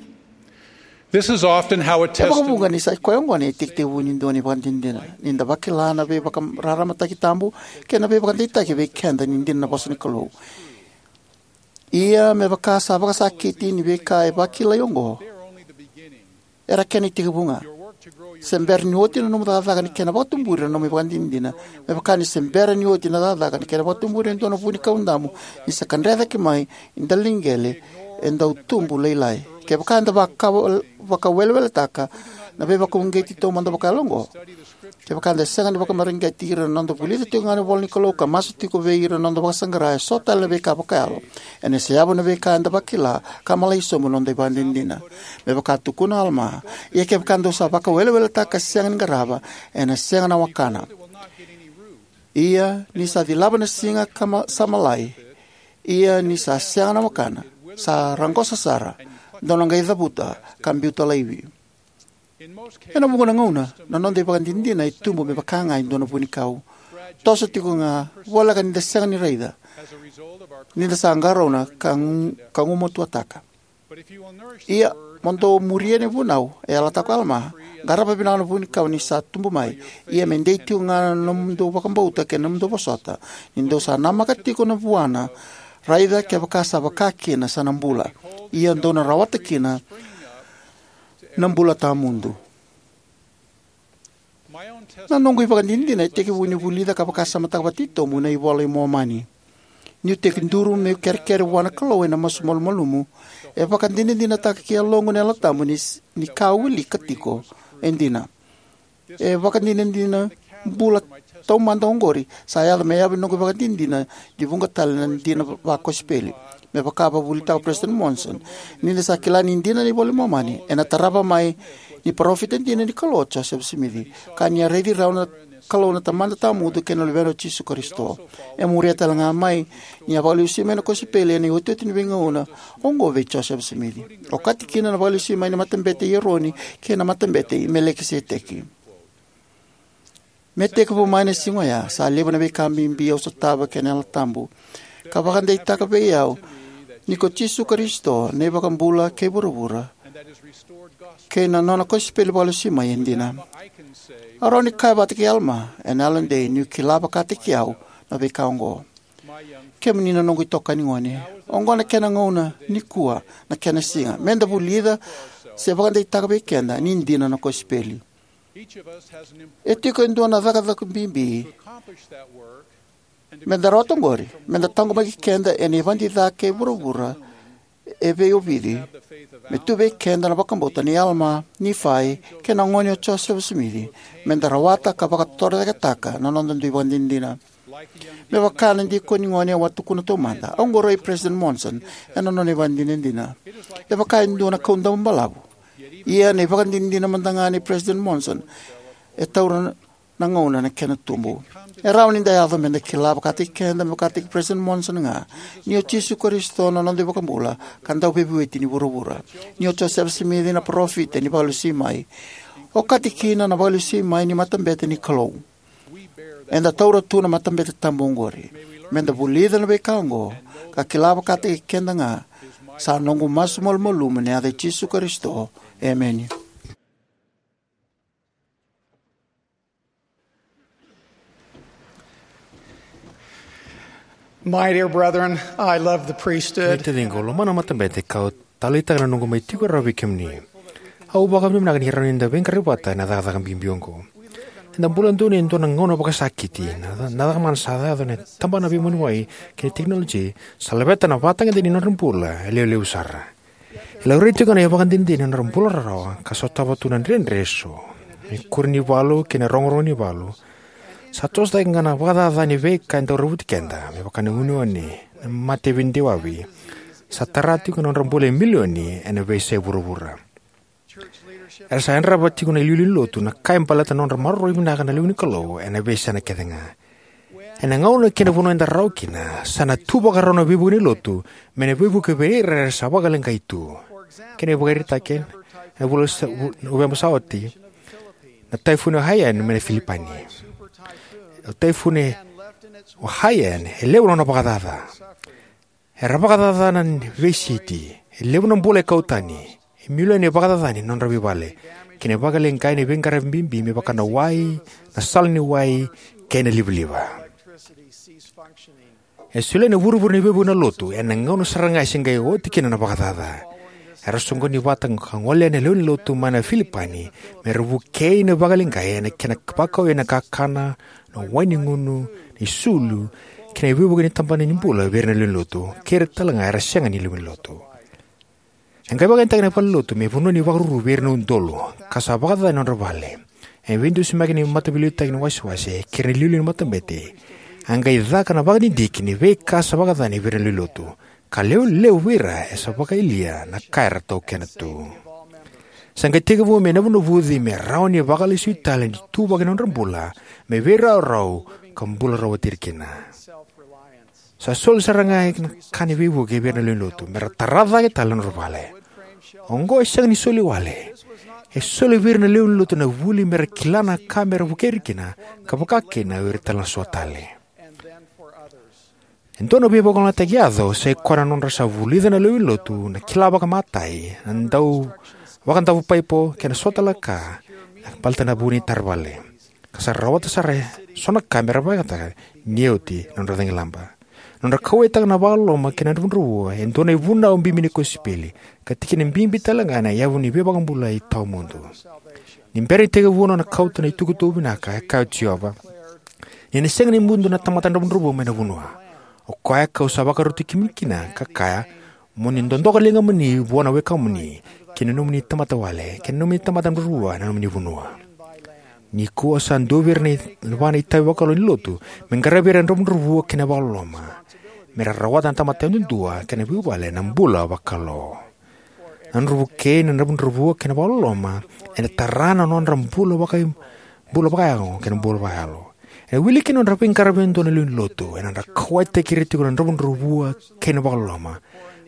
This is often how a E vakavuqa testimony ni sa i koya oqo na itekitekivu ni dua na ivakadinadina, ni da vakila na veivakararamataki tabu kei na veivakadeitaki vei keda ni dina na vosa ni Kalou. Ia me vaka sa vakasakiti ni veika e vakilai oqo, era kena itekivu ga. Se bera ni oti na nomu cakacaka ni kena vakatuburi na nomu ivakadinadina, me vaka ni se bera ni oti na cakacaka ni kena vakatuburi e dua na vu ni kau damu, ni sa kadre cake mai e daliqele e dau tubu lailai. Kevaka eda vaka-, vakaweleweletaka na veivakauqeti taumada vakayalo oqo, kevaka eda sega ni vakamareqeti ira na noda vulica tiko ga na ivola ni Kalou ka masu tiko vei ira na noda vakasaqara e so tale na veika vakayalo, ena seyavu na veika eda vakila ka malai sobu na noda ivakadinadina. Me vaka tukuna o Alama, ia kevaka dou sa vakaweleweletaka ka sega ni qarava, ena sega na wakana. Ia ni sa cilava na siga ka ma-, sa malai, ia ni sa sega na wakana, sa raqosa sara, dou na qai cavuta ka biuta laivi. Ena vuqa na gauna, na noda ivakadinadina e tubu me vaka ga e dua na vunikau. Toso tiko ga, voleka ni da sega ni raica, ni da sa qarauna ka gu-, ka gumatuataka. Ia, mo dou muria na vunau, e yalataka o Alama, qarava vinaka na vunikau ni sa tubu mai. Ia me dei tiko ga na nomudou vakabauta kei na nomudou vosota. Ni dou sa namaka tiko na vuana, raica kevaka sa vaka kina sa na bula. Ia dou na rawata kina na bula tawamudu. Na noqu ivakadinadina e tekivu niu vulica ka vakasamataka vakatitobu na iVola i Momani. Niu tekiduru meu kerekere vua na Kalou ena masu malumalumu, e vakadinadinataka ki yaloqu na Yalo Tabu ni, ni ka au wilika tiko e dina. E vakadinadina bula taumada oqori sa yaco me yavu ni noqu ivakadinadina ni vuqa tale na dina vakosipeli. Me vaka a vakavuvulitaka o President Monson, ni da sa kila ni dina na iVola i Momani, ena tarava mai ni parofita dina ni Kalou o Joseph Smith, ka ni a raici rau na Kalou na Tamada Tawamudu kei na Luvena o Jisu Karisito. E muria tale ga mai ni a vakalesui mai na kosipeli ena iotioti ni veigauna oqo vei Joseph Smith, okati kina na vakalesui mai ni Matabete i Eroni kei na Matabete i Melekiseteki. Me tekivu mai na siga oya, sa levu na veika bibi au sotava kei na Yalo Tabu ka vakadeitaka vei au ni ko Jisu Karisito na iVakabula kei vuravura, kei na nona kosipeli vakalesui mai e dina. Au rawa ni kaya vata kei Alama ena yalodei niu kila vakataki au na veika oqo. Kemuni na noqu itokani gone, oqo na kena gauna nikua, na kena siga me da vulica se vakadeitaka vei keda ni dina na kosipeli. E tiko e dua na cakacaka bibi me da rawata oqori, me da taqomaki keda ena ivadi ca kei vuravura e veiovici, me tu vei keda na vakabauta nei Alama, Nifai, kei na gone o Josefa Simici, me da rawata ka vakatorocaketaka na noda dui vakadinadina. Me vaka na dikoni gone au a tukuna taumada, au qoroi President Monson ena nona ivakadinadina. E vaka e dua na kaudaba balavu. Ia na ivakadinadina mada ga nei President Monson e taura na gauna na kena tubu. E rawa ni da yaco me da kila vakataki keda, me vakataki President Monson ga, ni o Jisu Karisito na noda iVakabula ka Dauveivueti ni vuravura, ni o Josefa Simici na parofita ni vakalesui mai, okati kina na vakalesui mai ni matabete ni Kalou. Eda taura tu na matabete tabu oqori. Me da vulica na veika oqo ka kila vakataki keda ga, sa noqu masu malumalumu ena yaca i Jisu Karisito. Emeni. My dear brethren, I love the priesthood. Kemuni na taciqu, au lomana na matabete ka au taleitaka na noqu mai tiko rawa vei kemuni. Au vakavinavinaka ni rawa ni da veiqaravi vata ena cakacaka bibi oqo. Eda bula donuya e dua na gauna vakasakiti. Na, na caka mana sa yaco ena tabana veivuniwai kei na tekinoloji sa laveta na vakatagedegede ni nodra bula e levulevu sara. E laurai tiko ga na ivakadinadina ena nodra bula rarawa ka sotava tu na dredre eso, na ikuri ni valu kei na rogorogo ni valu. Sa toso cake ga na vakacaca ni veika e dau ravuti keda, me vaka na uneune, na mate veidewavi. Sa tara tiko na nodra bula e milioni ena veiyasai vuravura. Era sa yadrava tiko na iliuliu ni lotu na ka e baleta na nodra maroroi vinaka na lewe ni Kalou ena veiyasana kece ga. Ena gauna kei na vanua eda rawa kina, sa na tu vakarau na veivuke ni lotu me na veivuke vei ira era sa vakaleqai tu. Kena ivakaraitaki, ena vula sa, vu-, Noveba sa oti, na taifuni o Haiyan mai na Filipani. O taifuni o Haiyan e levu na nona vakacaca. Era vakacacana na veisiti, e levu na bula e kau tani, e milioni e vakacacani na nodra veivale, kei na vakaleqai na veiqaravi bibi me vaka na wai, na sala ni wai, kei na livaliva. E solia na vurevure ni veivuke na lotu ena gauna sara ga e se qai oti kina na vakacaca. Era soqoni vata ka gole na lewe ni lotu mai na Filipani me ra vukei na vakaleqai ena kena vakau ena kakana, na wai ni gunu, na isulu, kei na veivuke ni tabana ni bula vei ira na lewe ni lotu, kei ira tale ga era sega ni lewe ni lotu. E qai vakayagataki na valenilotu me vanua ni vakaruru vei ira na udolu, ka sa vakacaca na nodra vale. E veidusimaki ni mataveiliutaki ni wasewase kei ira na iliuliu ni matabete. A qai caka na vakadidike ni veika sa vakacacani vei ira na lewe ni lotu, ka lewe levu vei ira e sa vakayalia na ka era taukena tu. Sa qai tekivu me navunavuci me rawa ni vakalesui tale na ituvaki ni nodra bula me veirawarawa ka bula rawati ira kina. Sa soli sara ga na ka ni veivuke vei ira na lewe ni lotu me ra tara cake tale na nodra vale. Oqo e sega ni soli wale. E soli vei ira na lewe ni lotu na vuli me ra kila na ka me ra vukei ira kina, ka vaka kina o ira tale na so tale. E dua na veivakalougatataki yaco sai koya na nodra sa vulica na lewe ni lotu na kila vakamatai, na dau vakadavu paipo kei na so tale na ka, baleta na vu ni taravale, ka sa rawata sara eso na ka me ra vakayagataka ni oti na nodra cagilaba. Na nodra kauwaitaka na vakaloloma kei na dravudravua e dua na ivunau bibi ni kosipeli, ka tikina bibi tale ga ena yavu ni veivakabulai tawamudu. Ni bera ni tekivu na nona kauta na itukutuku vinaka, e kaya o Jiova: Ni na sega ni mudu na tamata dravudravua mai na vanua. O koya kau sa vakaroti kemuni kina, ka kaya: Mo ni dodoka ligamuni vua na wekamuni, kei na nomuni tamata wale, kei na nomuni tamata dravudravua ena nomuni vanua. Nikua sa dua vei ira na i- va na itavi vakalou ni lotu me qaravi ira na dravudravua kei na vakaloloma, me ra rawata na tamata yadudua kei na veivuvale na bula vakalou. Na nodra vukei na dravudravua kei na vakaloloma ena tara na nodra bula vaka bula vakayago kei na bula vakayalo. Ena wili kina na nodra veiqaravi e dua na lewe ni lotu, ena nodra kauwaitaki ira tiko na dravudravua kei na vakaloloma,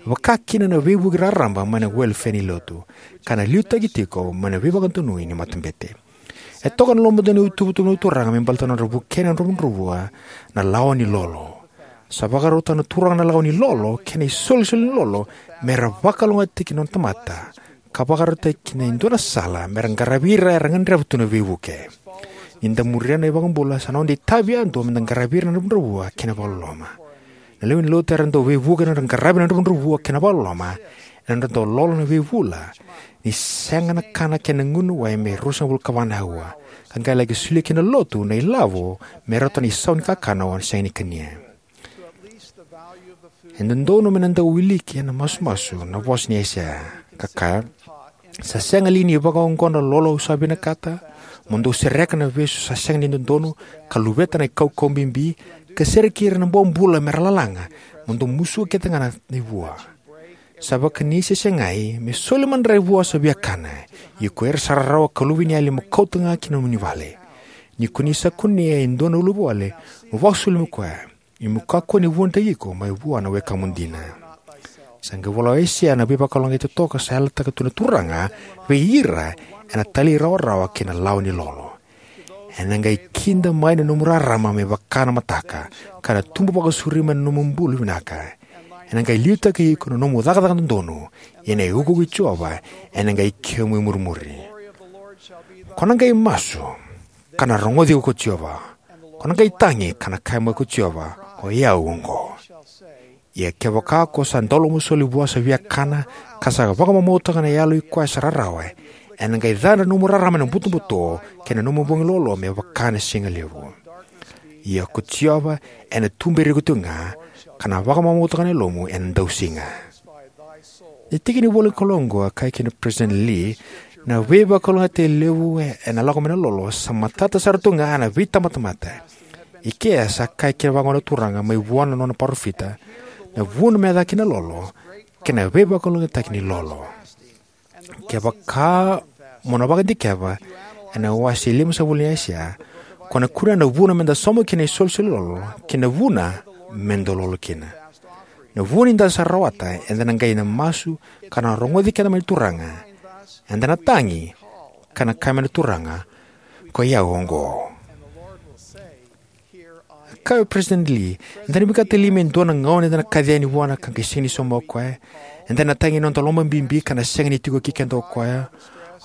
vaka kina na veivuke raraba mai na welefea ni lotu, ka na liutaki tiko mai na veivakadonui ni matabete. E toka na lomada ni ituvatuva na Turaga me baleta na nodra vukei na dravudravua na lawa ni lolo. Sa vakarauta na Turaga na lawa ni lolo kei na isolisoli ni lolo me ra vakalougatataki na nona tamata, ka vakarautaki kina e dua na sala me ra qaravi ira era gadreva tu na veivuke. Ni da muria na iVakabula, sa noda itavi yadua me da qaravi ira na dravudravua kei na vakaloloma. Na lewe ni lotu era dau veivuke ena nodra qaravi na dravudravua kei na vakaloloma ena nodra dau lolo na veivula, ni sega na kana kei na gunu wai me ruasagavulu ka va na aua, ka qai laki solia ki na lotu na ilavo me rauta na isau ni kakana o sega ni kania. E dodonu me na dau wiliki ena masumasu na vosa ni Aisea, ka kaya: Sa sega li ni vakaoqo na lolo au sa vinakata? Mo dou sereka na vesu sa sega ni dodonu, ka luveta na ikaukau bibi, ka sereki ira na bobula me ra lalaga, mo dou musuka kece ga na ivua. Sa vakani se segai me soli madrai vua sa viakana, ia ko ira sa rarawa ka luveniyali mo kauta ga ki na nomuni vale. Ni ko ni sa kunea e dua na uluvale, mo vakasoli mai koya, ia mo kakua ni vunautaki iko mai vua na wekamu dina. Sa qai vola o Aisea na veivakalougatataki totoka sa yalataka tu na Turaga vei ira ena talairawarawa kei na lawa ni lolo. Ena qai kida mai na nomu rarama me vaka na mataka, ka na tubu vakasauri mai na nomu bulu vinaka. Ena qai liutaki iko na nomu cakacaka dodonu, ia na iukuuku i Jiova ena qai kemu i murimuri. Ko na qai masu, ka na rogoci iko ko Jiova. Ko na qai tagi, ka na kaya mai ko Jiova: O i au oqo. Ia kevaka ko sa dau lomasoli vua sa viakana, ka sa vakamamautaka na yalo i koya sa rarawa, ena qai ca na nomu rarama ena butobuto, kei na nomu bogi lolo me vaka na siga levu. Ia ko Jiova ena tuberi iko tiko ga, ka na vakamamautaka na yalomu ena dausiga. Na tiki ni ivolanikalou oqo, e kaya kina o President Lee, na veivakalougatataki levu ena lako mai na lolo sa matata sara tu ga ena veitabatamata. I kea sa kaya kina vaqo na Turaga mai vua na nona parofita: Na vuna me yaco kina na lolo, kei na veivakalougatataki ni lolo. Kevaka mo na vakadikeva ena wase limasagavulu ni Aisea, ko na kunea na vuna me da sauma kina na isolisoli ni lolo, kei na vuna me da lolo kina. Na vu ni da sa rawata, eda na qai na masu, ka na rogoci keda mai na Turaga. Eda na tagi, ka na kaya mai na Turaga: Ko i au oqo. Kaya o President Lee: Eda na vinakata li me dua na gauna eda na kaci yani vua ka qai sega ni sauma o koya? Eda na tagi ena noda lomabibi ka na sega ni tiko kei keda o koya?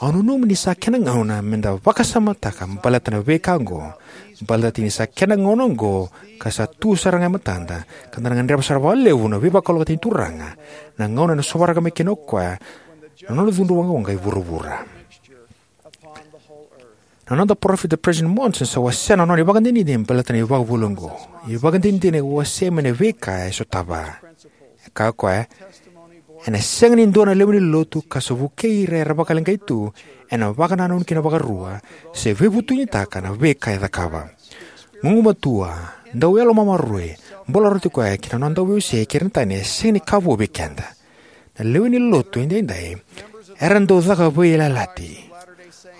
Au nanuma ni sa kena gauna me da vakasamataka baleta na veika oqo, baleta ni sa kena gauna oqo ka sa tu sara ga e matada, ka da na gadreva sara vakalevu na veivakalougatataki ni Turaga, na gauna ena sovaraka mai kina o koya na nona cudru waqawaqa e vuravura. Na noda parofita President Monson sa wasea na nona ivakadinadina baleta na ivakavuvuli oqo. Ivakadinadina e wasea mai na veika e sotava. E kaya o koya: Ena sega ni dua na lewe ni lotu ka sa vukei ira era vakaleqai tu ena vakanananu kina vakarua, se veivutunitaka na veika e cakava. Gugumatua, dau yalo maroroi, bula roti koya kei na nona dauveisei kei ira na tani e sega ni ka vou vei keda. Na lewe ni lotu edaidai era dau caka veiyalayalati.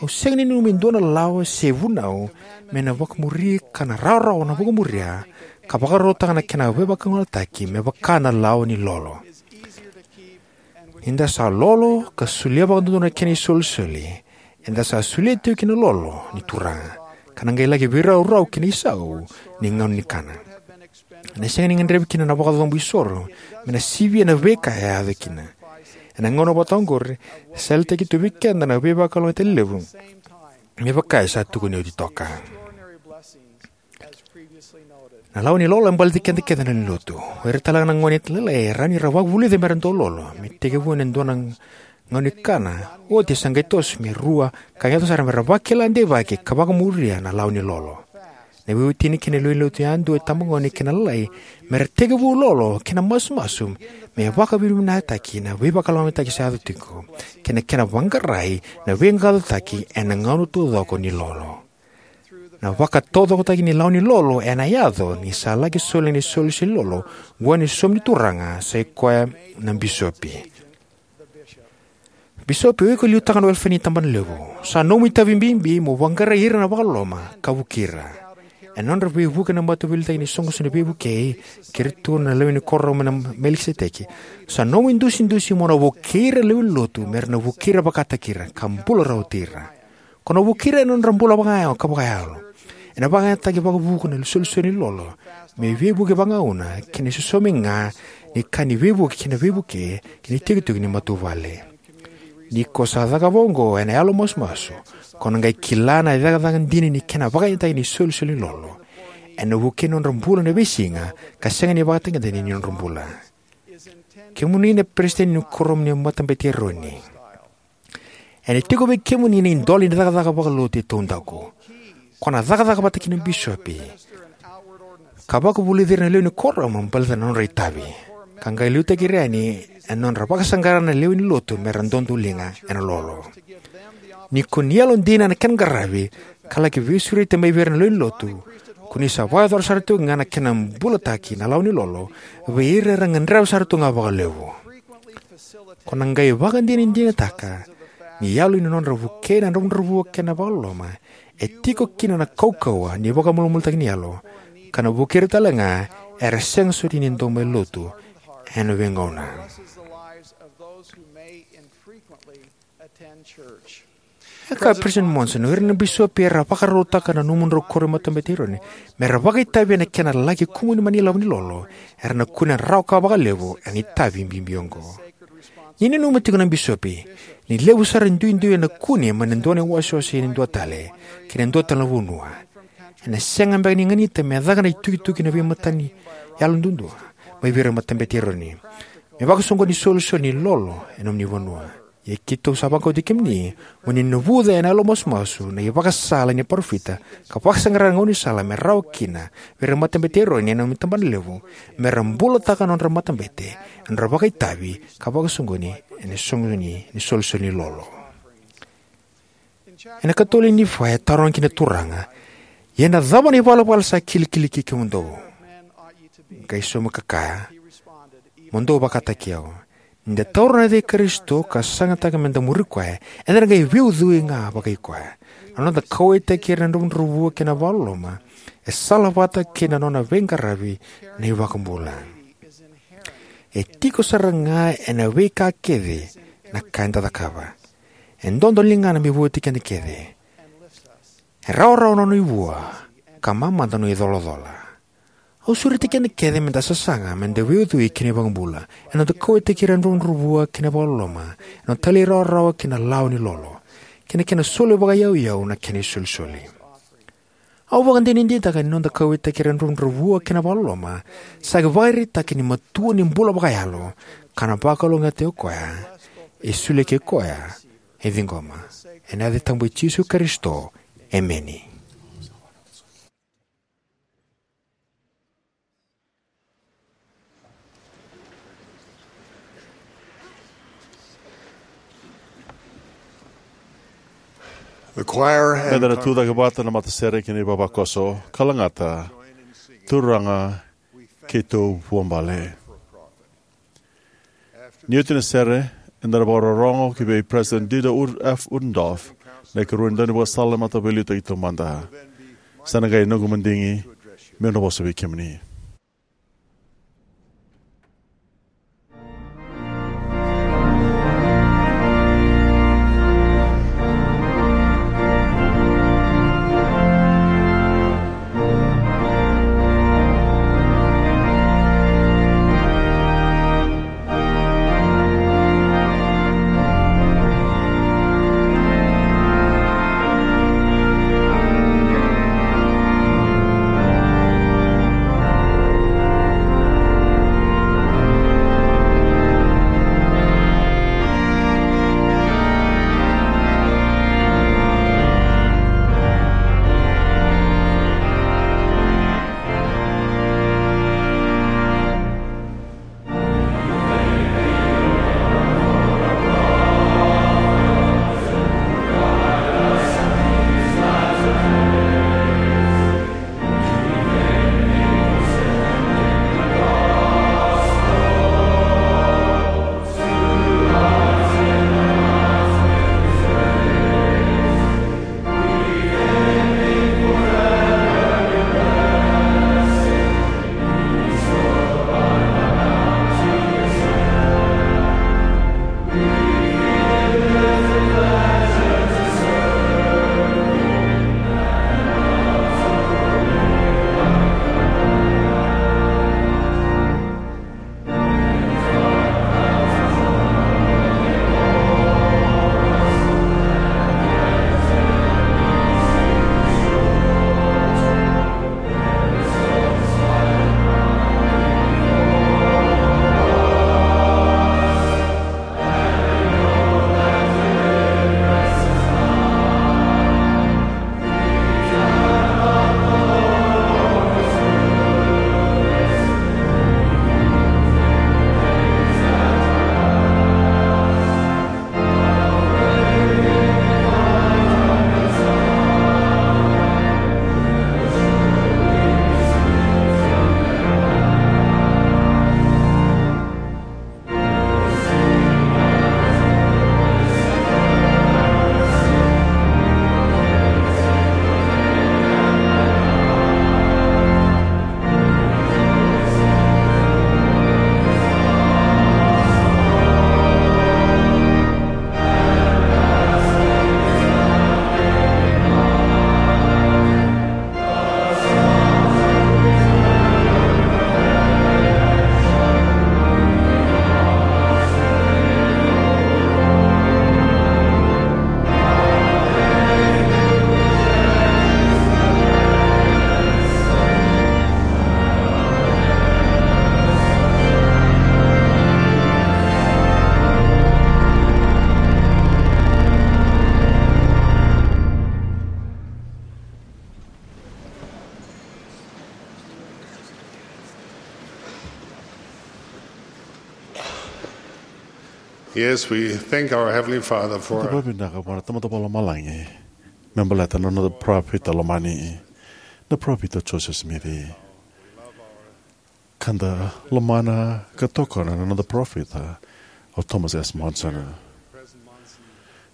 Au sega ni nanuma e dua na lawa se vunau me na vakamuri ka na rawarawa na vakamuria, ka vakarautaka na kena veivakalougatataki me vaka na lawa ni lolo. Ni da sa lolo ka solia vakadodonu na kena isolisoli, eda sa solia tiko kina na lolo ni Turaga, ka na qai laki veiraurau ki na isau ni gauna ni kana. Ena sega ni gadrevi kina na vakacobo isoro me na sivia na veika e a yaco kina. Ena gauna vata oqori, sa yalataki tu vei keda na veivakalougatataki levu me vaka e sa tukuni oti toka. Na lawa ni lolo e baleti keda kece na lewe ni lotu. O ira talega na gone lailai e rawa ni ra vakavulica me ra dau lolo me tekivu ena dua na gauna ni kana, oti sa qai toso me rua, ka yaco sara me ra vakila deivaki ka vakamuria na lawa ni lolo. Na veiwatini kei na lewe ni lotu yadua, itabagone kei na lailai, me ra tekivu lolo kei na masumasu me vakavinavinakataki na veivakalougatataki sa yaco tiko kei na kena vaqarai na veiqaqacotaki ena gauna taucoko ni lolo. Na vakataucokotaki ni lawa ni lolo ena yaco ni sa laki soli na isolisoli ni lolo vua na saumi ni Turaga, sa i koya na bisopi. Bisopi, o iko e liutaka na welefea ni tabanalevu. Sa nomu itavi bibi mo vaqarai ira na vakaloloma ka vuki ira. Ena nodra veivuke na Mataveiliutaki ni Soqosoqo ni Veivukei kei iratou na lewe ni Kuoramu ena Melikiseteki, sa nomu idusidusi mo na vukei ira na lewe ni lotu me ra na vukei ira vakataki ira ka bula rawa oti ira. Ko na vukei ira ena nodra bula vakayago ka vakayalo. Ena vakayagataki vakavuku na isolisoli ni lolo me veivuke vagauna kei na isosomi ga ni ka ni veivuke kei na veivuke kei na itikotiko ni matavuvale. Ni ko sa cakava oqo ena yalo masumasu, ko na qai kila na cakacaka dina ni kena vakayagataki na isolisoli ni lolo. Ena vukei na nodra bula na veisiga ka sega ni vakatagedegede ni nodra bula. Kemuni na peresitedi ni Kuoramu ni Matabete i Eroni, ena tiko vei kemuni na idola ni cakacaka vakalotu e taudaku. Ko na cakacaka vata kei na bisopi ka vakavulici ira na lewe ni Kuoramu baleta na nodra itavi, ka qai liutaki ira yani ena nodra vakasaqara na lewe ni lotu me ra dodoliga ena lolo. Ni ko ni yalodina ena kena qaravi ka laki veisureti mai vei ira na lewe ni lotu, ko ni sa vakayacora sara tiko ga na kena bulataki na lawa ni lolo vei ira era gadreva sara tu ga vakalevu. Ko na qai vakadinadinataka ni yalo ni nodra vukei na dravudravua kei na vakaloloma e tiko kina na kaukauwa ni vakamalumalumutaki ni yalo, ka na vukei ira talega era sega soti ni dau mai lotu ena veigauna. E kaya o Peresitedi Monson, o ira na bisopi era vakarautaka na nomudrau koro e Matabete i Eroni me ra vakaitavi ena kena laki kumuni mai na ilavo ni lolo, era na kune rawa ka vakalevu ena itavi bibi oqo. Ni nanuma tiko na bisopi ni levu sara e duidui ena kune mai na dua na iwasewase ki na dua tale, ki na dua tale na vanua, ena sega beka ni ganita me caka na itukituki ena veimataqali yalo duadua mai vei ira na Matabete i Eroni me vakasoqoni na isolisoli ni lolo ena nomuni vanua. Ia keitou sa vakauti kemuni mo ni navuca ena yalo masumasu na ivakasala ni parofita ka vakasaqara na gaunisala me rawa kina vei ira na Matabete i Eroni ena nomuni tabanalevu, me ra bulataka na nodra matabete ena nodra vakaitavi ka vakasoqoni ena soqoni ni isolisoli ni lolo. Ena ikatolu ni Nifai e taroga kina na Turaga, "Ia na cava na ivalavala sa kilikili kei kemudou?" Qai sauma ka kaya, "Mo dou vakataki au. Ni da taura na yaca i Karisito ka sagataka me da muri koya, eda na qai veiucui ga vakai koya. Na noda kauwaitaki ira na dravudravua kei na vakaloloma e salavata kei na nona veiqaravi na iVakabula. E tiko sara ga ena veika kece na ka eda cakava. E dodoliga me vauci keda kece. E rawarawa na nona ivua ka mamada na nona icolacola." Au sureti keda kece me da sasaga me da veiucui kei na iVakabula ena noda kauwaitaki ira na dravudravua kei na vakaloloma, ena noda talairawarawa ki na lawa ni lolo, kei na kena soli vakayauyau na kena isolisoli. Au vakadinadinataka ni noda kauwaitaki ira na dravudravua kei na vakaloloma sa ivakaraitaki ni matua ni bula vakayalo, ka na vakalougatataki o koya e solia kei koya e ciqoma. Ena yaca tabu i Jisu Karisito, emeni. The choir and Meda na tucake vata na matasere kei na ivavakoso ka lagata Turaga Keitou Vuabale. Ni oti na sere, eda na vakarorogo ki vei President Dieter F. Uchtdorf, na ikarua ni daunivakasala ni Mataveiliutaki Taumada. Sa na qai noqu madigi meu na vosa vei kemuni. Yes, we thank our Heavenly Father for Eda vakavinavinaka vua na Tamada Vakalomalagi me baleta na noda parofita lomani, na Parofita Joseph Smith. Ka da lomana ka tokona na noda parofita o Thomas S. Monson.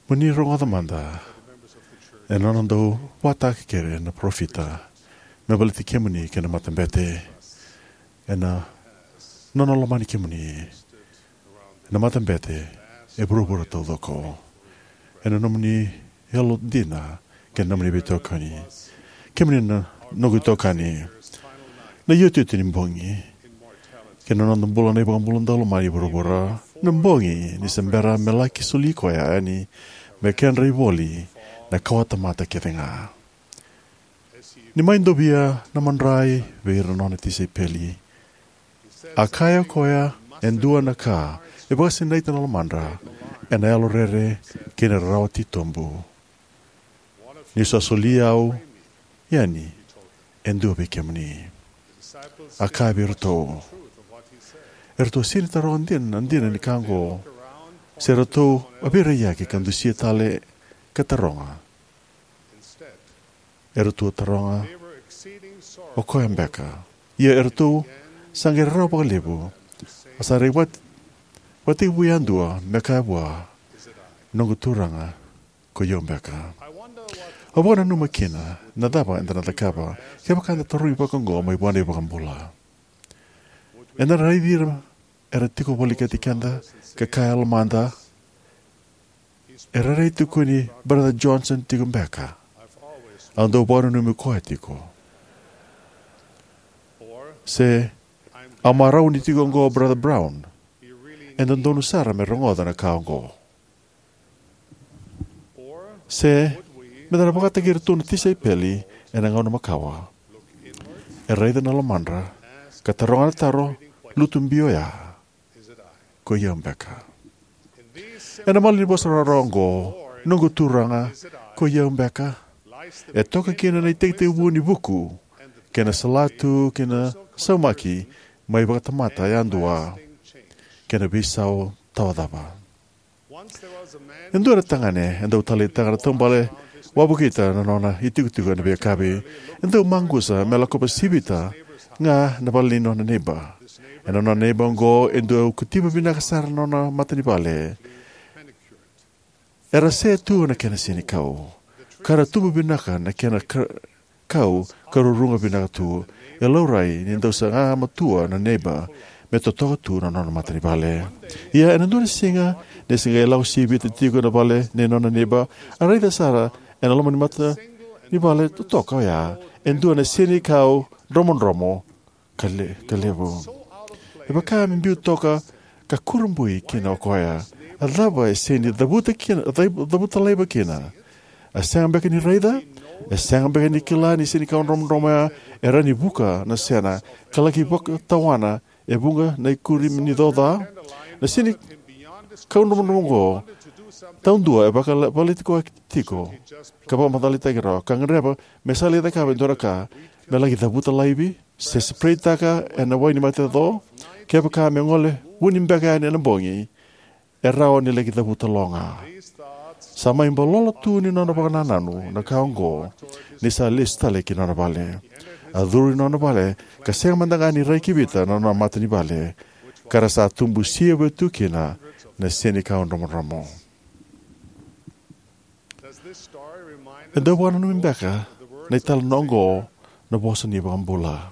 Mo ni rogoca mada e nona dau vakataki kere na parofita me baleti kemuni kei na matabete, ena nona lomani kemuni. Na matabete e vuravura taucoko, ena nomuni yalodina kei na nomuni veitokoni. Kemuni na noqu itokani, na iotioti ni bogi kei na noda bula na iVakabula dau lomani e vuravura, na bogi ni se bera me laki soli koya yani me kedra ivoli na kawa tamata kece ga. Ni mai dovia na madrai vei ira na nona tisaipeli, a kaya o koya e dua na ka e vakasinaita na lomadra ena yalorere kei na rarawa titobu. Ni sa soli au yani e dua vei kemuni, a kaya vei iratou. Eratou sega ni taroga dina na dina ni ka oqo, se ratou a veiraiyaki ka dusia tale ka taroga. Eratou a taroga, o koya beka? Ia eratou sa qai rarawa vakalevu, a sa rai vakatekivu yadua me kaya vua, noqu Turaga, ko i au beka? Au vakananuma kina na cava eda na cakava kevaka eda tarogi vakaoqo mai vua na iVakabula. Eda na raici ira era tiko volekati keda ka kaya e lomada, e rairai tukuni Brother Johnson tiko beka. Au dau vakananumi koya tiko. Se, au marau ni tiko oqo Brother Brown. E dodonu sara me rogoca na ka oqo. Se, meda na vakataki iratou na tisaipeli ena gauna makawa, e raica na lomadra ka taroga na taro lutu bi oya, ko i au beka? Ena malanivosa rawarawa oqo, noqu Turaga, ko i au beka, e toka kina na itekitekivu ni vuku kei na salatu kei na saumaki mai vakatamata yadua kei na veisau tawacava. E dua na tagane e dau taleitaka na taubale wavokita na nona itikotiko ena veiyakavi. E dau maqusa me lakova sivita ga na vale ni nona neiba. Ena nona neiba oqo e dau kotiva vinaka sara na nona matanivale. Era se tu na kena senikau, ka ra tubu vinaka na kena ka- kau ka ruruga vinaka tu. E laurai ni dau saga matua na neiba me totoka tu na nona matanivale. Ia ena dua na siga, ni se qai lako sivita tiko na vale nei nona neiba, a raica sara ena loma ni matanivale totoka oya e dua na senikau dromodromo ka le- ka levu. E vaka me biu toka ka kurabui kina o koya. A cava e sega ni cavuta kina, cav- cavuta laiva kina? A sega beka ni raica? E sega beka ni kila ni senikau dromodromo ya e rawa ni vuka na sena ka laki vakatawana e vuqa na ikuri ni coca? Na senikau dromodromo oqo taudua e vakavalevaleti koya tiko ka vakamacalataki rawa ka gadreva me sa lai cakava e dua na ka me laki cavuta laivi se sipreitaka ena wai ni mate co. Kevaka me gole vuni beka yani ena bogi, e rawa ni laki cavuta lo ga. Sa mai balolo tu ni nona vakanananu na ka oqo ni sa lesu tale ki nona vale. A curu i nona vale ka sega mada ga ni rai kivita na nona matanivale, ka ra sa tubu sivita tu kina na senikau dromodromo. E dau vakananumi beka na italanoa oqo na vosa ni iVakabula?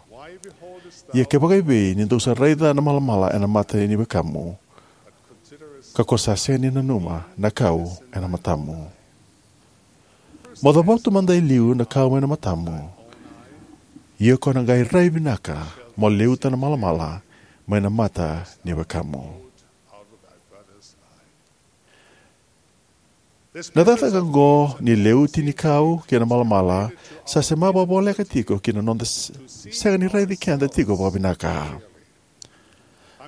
Ia kevaka evei ni dou sa raica na malamala ena mata ni wekamu, ka ko sa sega ni nanuma na kau ena matamu? Mo cavatu mada e liu na kau mai na matamu, ia ko na qai rai vinaka mo liuta na malamala mai na mata ni wekamu. Na cakacaka oqo ni liuti ni kau kei na malamala sa sema vakavoleka tiko ki na noda s- sega ni raici keda tiko vakavinaka.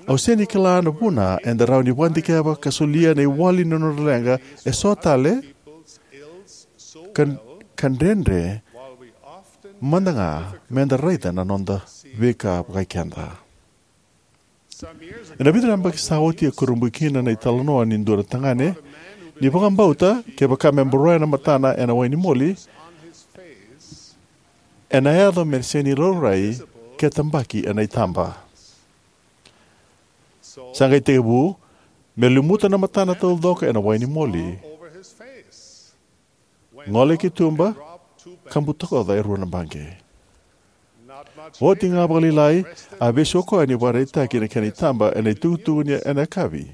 Au sega ni kila na vuna eda rawa ni vakadikeva ka solia na iwali ni nodra leqa eso tale ka, ka dredre mada ga meda raica na noda veika vakai keda. Ena vica na yabaki sa oti e kurabui kina na italanoa ni dua na tagane ni vakabauta kevaka me boroya na matana ena wai ni moli, ena yaco me sega ni laurai ke tabaki ena itaba. Sa qai tekivu me lumuta na matana taucoko ena wai ni moli, gole ki tuba, ka butakoca e rua na baqe. Oti ga vakalailai, a vesu o koya ni vakaraitaki na kena itaba ena itukutuku ni ena yakavi.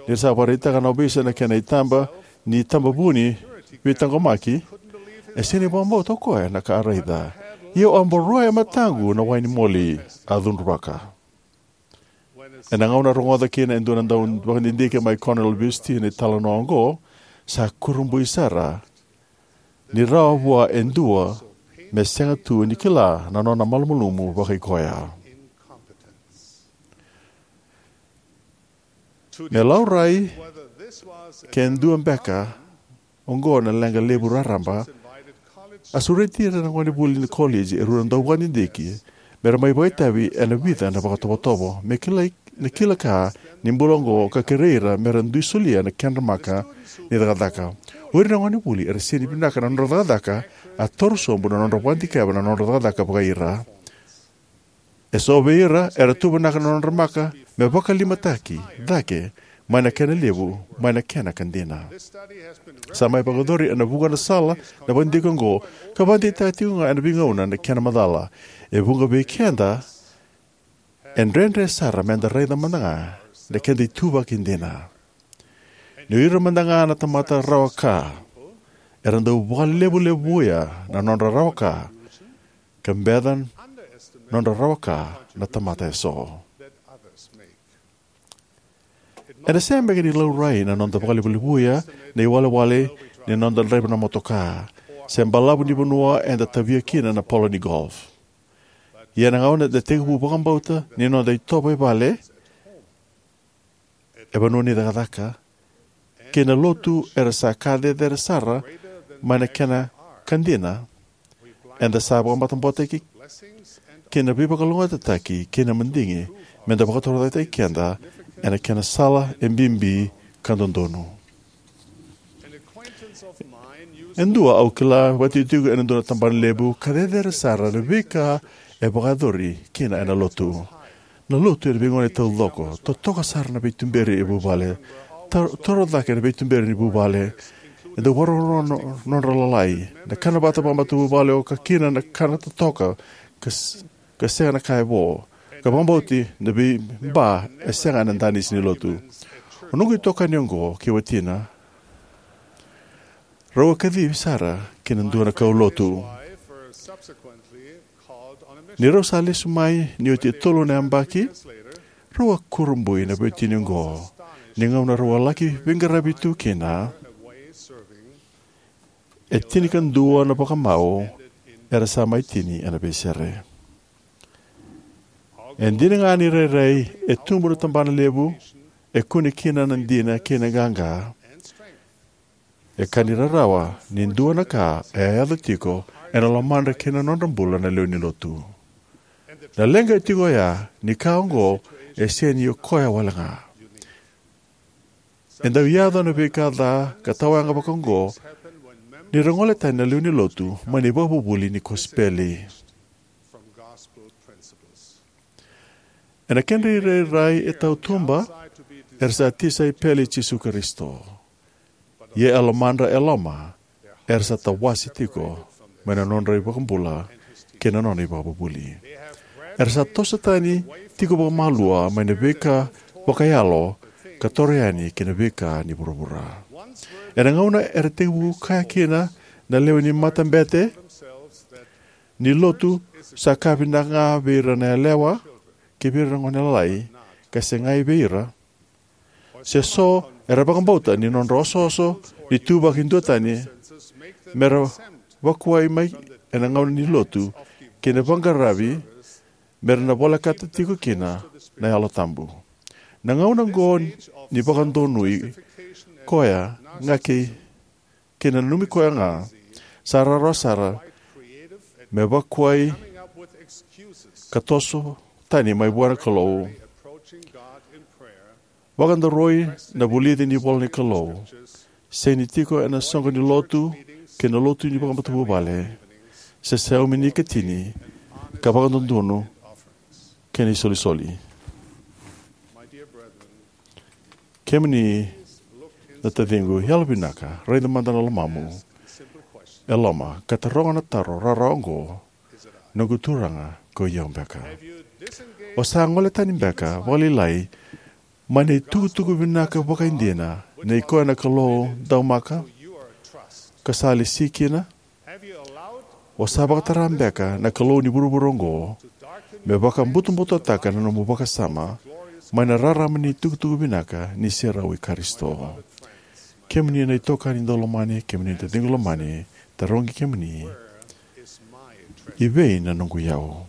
Ni ra sa vakaraitaka na ovisa na kena itaba ni tabavuni veitaqomaki, e sega ni vakabauta o koya na ka a raica. Ia au a boroya e mataqu na wai ni moli, a cudruvaka. Ena gauna a rogoca kina e dua na dau vakadidike mai Cornell University na italanoa oqo, sa kurabui sara ni rawa vua e dua me sega tu ni kila na nona malumalumu vakaikoya. Me laurai ke dua beka oqo na leqa levu raraba, a sureti ira na gonevuli ni koleji e rua na dauvakadidike me ra mai vakaitavi ena vica na vakatovotovo me kilai na kila ka ni bula oqo ka kerei ira me ra dui solia na kedra maka ni cakacaka. O ira na gonevuli era sega ni vinaka na nodra cakacaka a toro sobu na nodra vakadikeva na nodra cakacaka vakaira. E so vei ira era tuvanaka na nodra maka me vakalimataki cake mai na kena levu, mai na kena ka dina. Sa mai vakayacori ena vuqa na sala na vakadidike oqo ka vakadeitaka tiko ga ena veigauna na kena macala. E vuqa vei keda e dredre sara meda raica mada ga na keda ituvaki dina. Ni o ira mada ga na tamata rawa ka era dau vakalevulevuya na nodra rawa ka ka beca nodra rawa ka na tamata e so. Ena sega beka ni laurai na noda vakalevulevuya na iwalewale ni noda draiva na motoka se balavu ni vanua eda tavia kina na polo ni golf. Ia na gauna eda tekivu vakabauta ni noda itovo e vale, e vanua ni cakacaka, kei na lotu era sa ka cecere sara mai na kena ka dina, eda sa vakamatabokotaki kei na veivakalougatataki kei na madigi meda vakatorocaketaki keda ena kena sala e bibi ka dodonu. E dua au kila vakatikotiko ena dua na tabana levu ka cecere sara na veika e vakayacori kina ena lotu. Na lotu ena veigauna taucoko, totoka sara na veituberi e vuvale, tar-, toro cake na veituberi ni vuvale, e dau vakarorogo no-, nodra lalai, na kana vata vakamatavuvale oka kina na kana totoka, ka s-, ka sega na ka e vo, ka vakabauti na veiba e sega ena danisi ni lotu. O noqu itokani oqo kei watina, rau a kacivi sara ki na dua na kaulotu. Ni rau sa lesu mai ni oti e tolu na yabaki, rau a kurabui na veiwatini oqo ni gauna rau a laki veiqaravi tu kina, e tinikadua na vakamau era sa mai tini ena veisere. E dina ga ni rairai e tubu na tabana levu, e kune kina na dina kei na qaqa, e ka ni rarawa ni dua na ka e a yaco tiko ena lomadra kei na nodra bula na lewe ni lotu. Na leqa e tiko oya ni ka oqo e sega ni o koya wale ga. E dau yaco na veika ca ka tawayaga vakaoqo ni ra gole tani na lewe ni lotu mai na ivakavuvuli ni kosipeli. Ena kedra irairai e tautuba, era sa tisaipeli i Jisu Karisito. Ia e lomadra e loma, era sa tawase tiko mai na nodra iVakabula kei na nona ivakavuvuli. Era sa toso tani tiko vakamalua mai na veika vakayalo ka toro yani ki na veika ni vuravura. Ena gauna era tekivu kaya kina na lewe ni matabete ni lotu sa ka vinaka ga vei ira na yalewa kei vei ira na gone lalai, ka segai vei ira, se so era vakabauta ni nodra osooso ni tuvaki duatani me ra vakuai mai ena gauna ni lotu kei na vaqaravi me ra na volekata tiko kina na Yalo Tabu. Na gauna oqo ni vakadonui koya ga kei, kei na nanumi koya ga, sa rawarawa sara me vakuai ka toso tani mai vua na Kalou Vakadaroi na vulici ni ivola ni Kalou, sega ni tiko ena soqo ni lotu kei na lotu ni vakamatavuvale, se saumi ni ikatini, ka vakadodonu kei na isolisoli. Kemuni na taciqu, yalovinaka raica mada na lomamu e loma ka taroga na taro rawarawa oqo: Noqu Turaga, ko i au beka? O sa gole tani beka vakalailai mai na itukutuku vinaka vakaidina nei koya na Kalou daumaka ka sa lesi kina? O sa vakatara beka na kalou ni vuravura oqo me vakabutobutotaka na nomu vakasama mai na rarama ni tukutuku vinaka ni serau i Karisito? Kemuni na itokani daulomani, kemuni na taciqu lomani, tarogi kemuni: I vei na noqu iyau?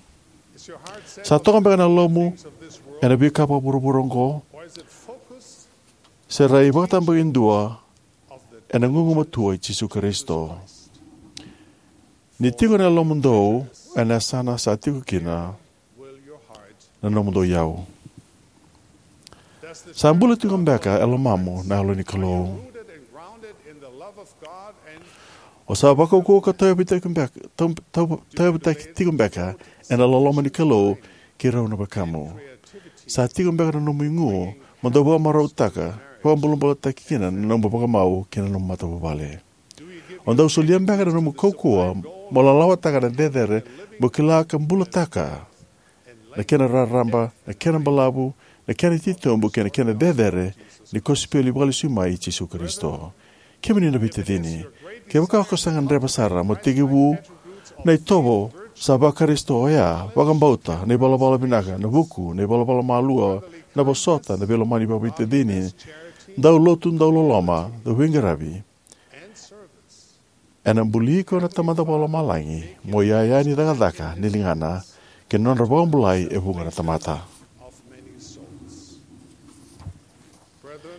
Sa toka beka na yalomu ena veika vakavuravura oqo, se rai vakatabakidua ena gugumatua i Jisu Karisito? Ni tiko na yalomudou ena yasana, sa tiko kina na nomudou iyau. Sa bula tiko beka e lomamu na Yalo ni Kalou? O sa vakaukauwa ka tauyavutaki beka, tau, tau, tauyavutaki tiko beka ena loloma ni Kalou kei rau na wekamu? Sa tiko beka na nomu igu mo dau vakamarautaka, vakabulabulataki kina na nomu vakamau kei na nomu matavuvale? O dau solia beka na nomu kaukauwa mo lalawataka na cecere mo kila ka bulataka na kena raraba, na kena balavu, na kena titobu kei na kena cecere ni kosipeli vakalesui mai i Jisu Karisito? Kemuni na veitacini, kevaka ko sa gadreva sara mo tekivu na itovo sa va-Karisito, oya vakabauta, na ivalavala vinaka, na vuku, na ivalavala malua, na vosota, na veilomani vakaveitacini, dau lotu, dau loloma, dau veiqaravi, ena buli iko na Tamada Vakalomalagi mo iyaya ni cakacaka ni ligana kei na nodra vakabulai e vuqa na tamata.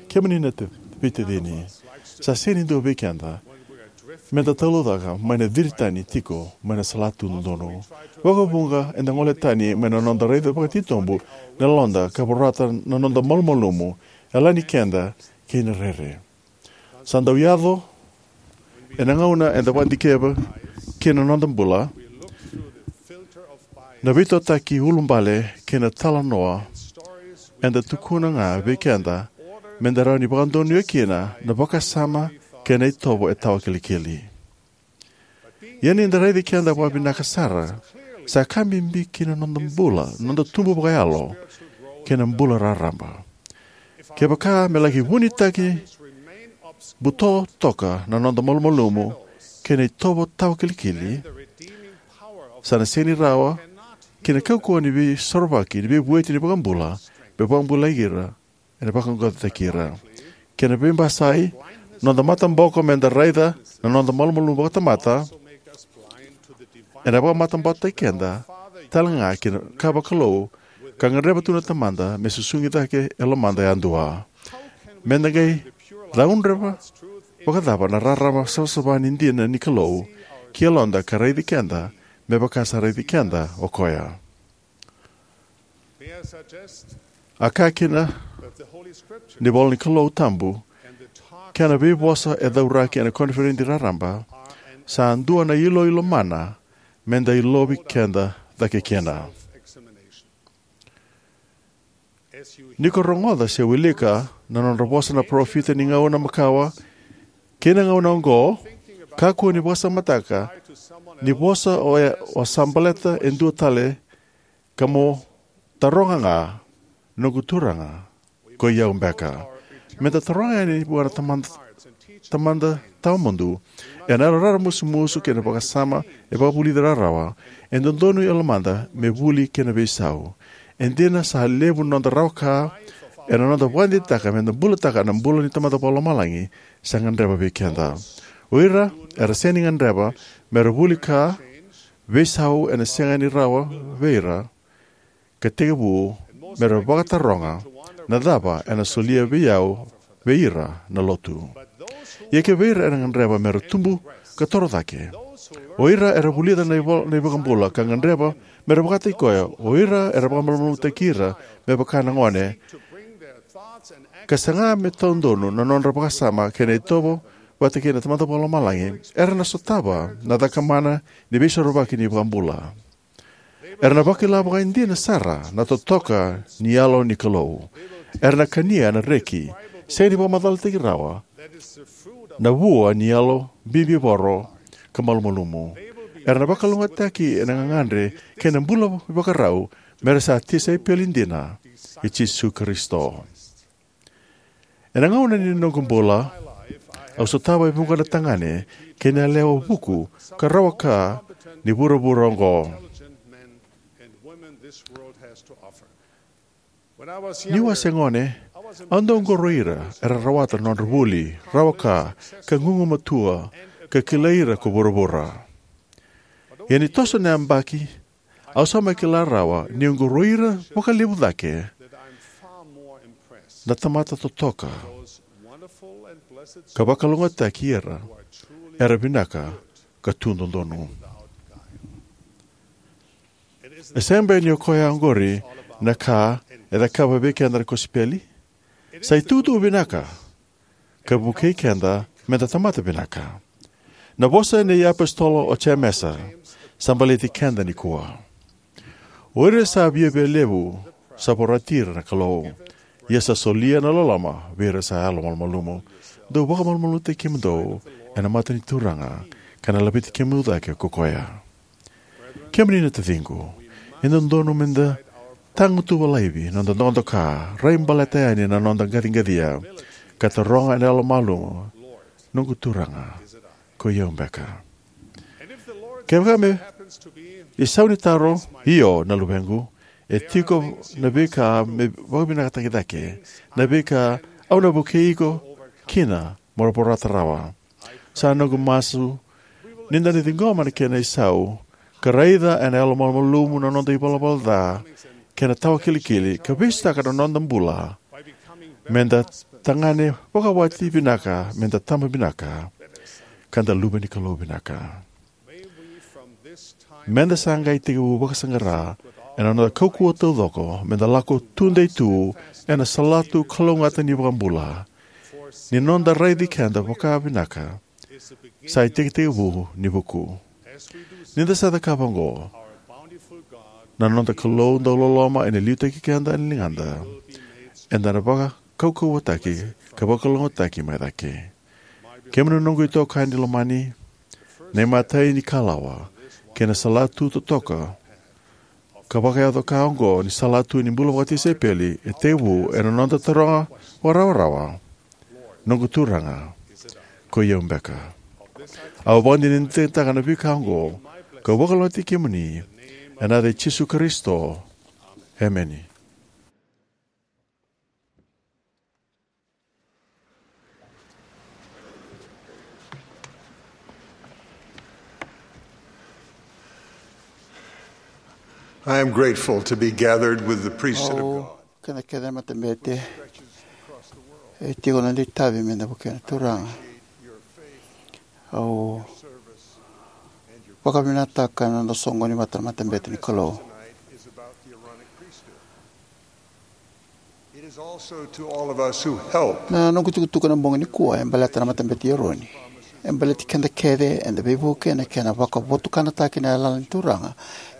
Kemuni na te-, veitacini, sa sega ni dua vei keda meda talaucaka mai na ciri tani tiko mai na salatu dodonu. Vakavuqa eda gole tani mai na noda raica vakatitobu na yaloda ka vorata na noda malumalumu, yalani keda kei na rere. Sa dau yaco ena gauna eda vakadikeva kina na noda bula na veitotaki ulubale kei na talanoa eda tukuna ga vei keda meda rawa ni vakadonuya kina na vakasama kei na itovo e tawakilikili. Ia ni da raici keda vakavinaka sara, sa ka bibi ki na noda bula, noda tubu vakayalo, kei na bula raraba. Kevaka me laki vunitaki buto toka na noda malumalumu kei na itovo tawakilikili, sa na sega ni rawa ki na kaukauwa ni veisorovaki ni veivueti ni iVakabula me vakabulai ira, ena vaqaqacotaki ira. Kena veibasai, noda mataboko meda raica na noda malumalumu vakatamata ena vakamatabokotaki keda tale ga ki na ka vakalou ka gadreva tu na Tamada me susugi cake e lomada yadua. Meda qai caudreva vakacava na rarama savasava ni dina ni Kalou ki yaloda ka raici keda me vaka sa raici keda o koya? A kaya kina ni ivola ni Kalou tabu, kei na veivosa e cauraki ena koniferedi raraba sa dua na iloilo mana meda ilovi keda cake kina. Ni ko rogoca se wilika na nodra vosa na parofita ni gauna makawa kei na gauna oqo, kakua ni vakasamataka ni vosa o, o sa baleta e dua tale ka mo taroga ga, "Noqu Turaga, ko i au beka?" Meda taroga yani vua na Tamada, Tamada tawamudu ena yalo raramusumusu kei na vakasama e vakavulici rawarawa. E dodonu e lomada me vuli kei na veisau. E dina sa levu na noda rawa ka ena noda vakadeitaka meda bulataka na bula ni Tamada Vakalomalagi sa gadreva vei keda. O ira era sega ni gadreva mera vuli ka veisau ena sega ni rawa vei ira ka tekivu mera vakataroga na cava ena solia vei au, vei ira na lotu. Ia kivei ira era gadreva mera tubu ka toro cake, o ira era vulica na ivo-, na iVakabula ka gadreva mera vakataki koya, o ira era vakamalumalumutaki ira me vaka na gone, ka saga me taudonu na nodra vakasama kei na itovo vata kei na Tamada Vakalomalagi, era na sotava na cakamana ni Veisorovaki ni iVakabula. Era na vakila vakaidina sara na totoka ni Yalo ni Kalou. Era na kania na reki sega ni vakamacalataki rawa, na vua ni yalo bibivoro ka malumalumu. Era na vakalougatataki ena gagadre kei na bula ivakarau me ra sa tisaipeli dina i Jisu Karisito. Ena gauna ni noqu bula, au sotava e vuqa na tagane kei na yalewa vuku ka rawa ka ni vuravura oqo. Niu a se gone, au dau qoroya ira era rawata na nodra vuli, rawa ka, ka gugumatua, ka kilai ira ko vuravura. Ia ni toso na yabaki, au sa mai kila rawa niu qoroya ira vakalevu cake na tamata totoka ka vakalougatataki ira era vinaka ka tu dodonu. E sega beka ni o koya oqori na ka e cakava vei keda na kosipeli? Sa itukutuku vinaka ka vukei keda meda tamata vinaka. Na vosa nei apositolo o Jemesa sa baleti keda nikua. O ira sa viavialevu sa vorati ira na Kalou, ia sa solia na loloma vei ira sa yalomalumalumu. Dou vakamalumalumutaki kemudou ena mata ni Turaga, ka na laveti kemudou cake ko koya. Kemuni na taciqu, e dodonu meda tagutuva laivi noda dokadoka, rai baleta yani na noda qaciqacia, ka taroga ena yalomalumalumu, noqu Turaga, ko i au beka? Kevaka me isau ni taro, io, na luvequ, e tiko na veika me vakavinakataki cake, na veika au na vukei iko kina mo na vorata rawa. Sa noqu masu ni da na ciqoma na kena isau ka raica ena yalomalumalumu na noda ivalavala ca kei na tawakilikili, ka veisotaka na noda bula meda tagane vakawati vinaka, meda tama vinaka, ka da luve ni Kalou vinaka. Meda sa qai tekivu vakasaqara ena noda kaukauwa taucoko meda lako tudei tu ena salatu kalougata ni iVakabula, ni noda raici keda vakavinaka sa itekitekivu ni vuku. Ni da sa cakava oqo, na noda Kalou dauloloma ena liutaki keda ena ligada, eda na vakaukauwataki ka vakalougatataki mai cake. Kemuni na noqu itokani lomani, na imatai ni kalawa kei na salatu totoka ka vakayaco ka oqo ni salatu ni bula vakatisaipeli e tekivu ena noda taroga vakarawarawa, noqu Turaga, ko i au beka? Au vakadinadinataka na veika oqo, kau vakalougatataki kemuni ena yaca i Jisu Karisito. Emeni. I am grateful to be gathered with the priesthood of God. Au kena kece na matabete e tiko na itavi me da vukea na Turaga. Au vakavinakataka na noda soqoni vata na matabete ni Kalou. It is also to all of us who help. Na noqu tukutuku ena bogi nikua e baleta na matabete i Eroni. E baleti keda kece eda veivuke ena kena vakavotukanataki na yalayala ni Turaga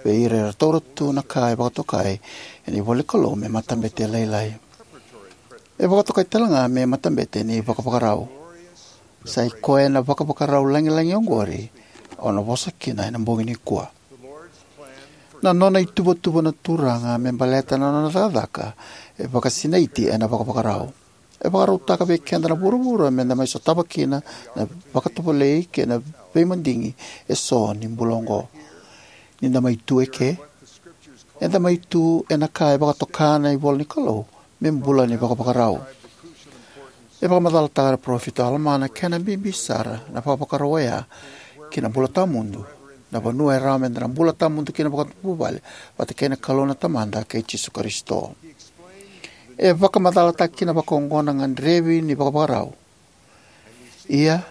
vei ira era taura tu na ka e vakatokai ena ivola ni Kalou me matabete lailai. E vakatokai tale ga me matabete ni vakavakarau. Sa i koya na vakavakarau lagilagi oqori au na vosa kina ena bogi nikua. Na nona ituvatuva na Turaga me baleta na nona cakacaka e vakasinaiti ena vakavakarau. E vakarautaka vei keda na vuravura me da mai sotava kina na vakatovolei kei na veimadigi eso ni bula oqo. Ni da mai tu eke, eda mai tu ena ka e vakatoka na ivola ni Kalou me bula ni vakavakarau. E vakamacalataka na parofita o Alama na kena bibi sara na vakavakarau oya ki na bula tawamudu, na vanua e rawa me da na bula tawamudu kina vakavuvale vata kei na Kalou na Tamada kei Jisu Karisito. E vakamacalataka kina vakaoqo na gadrevi ni vakavakarau. Ia,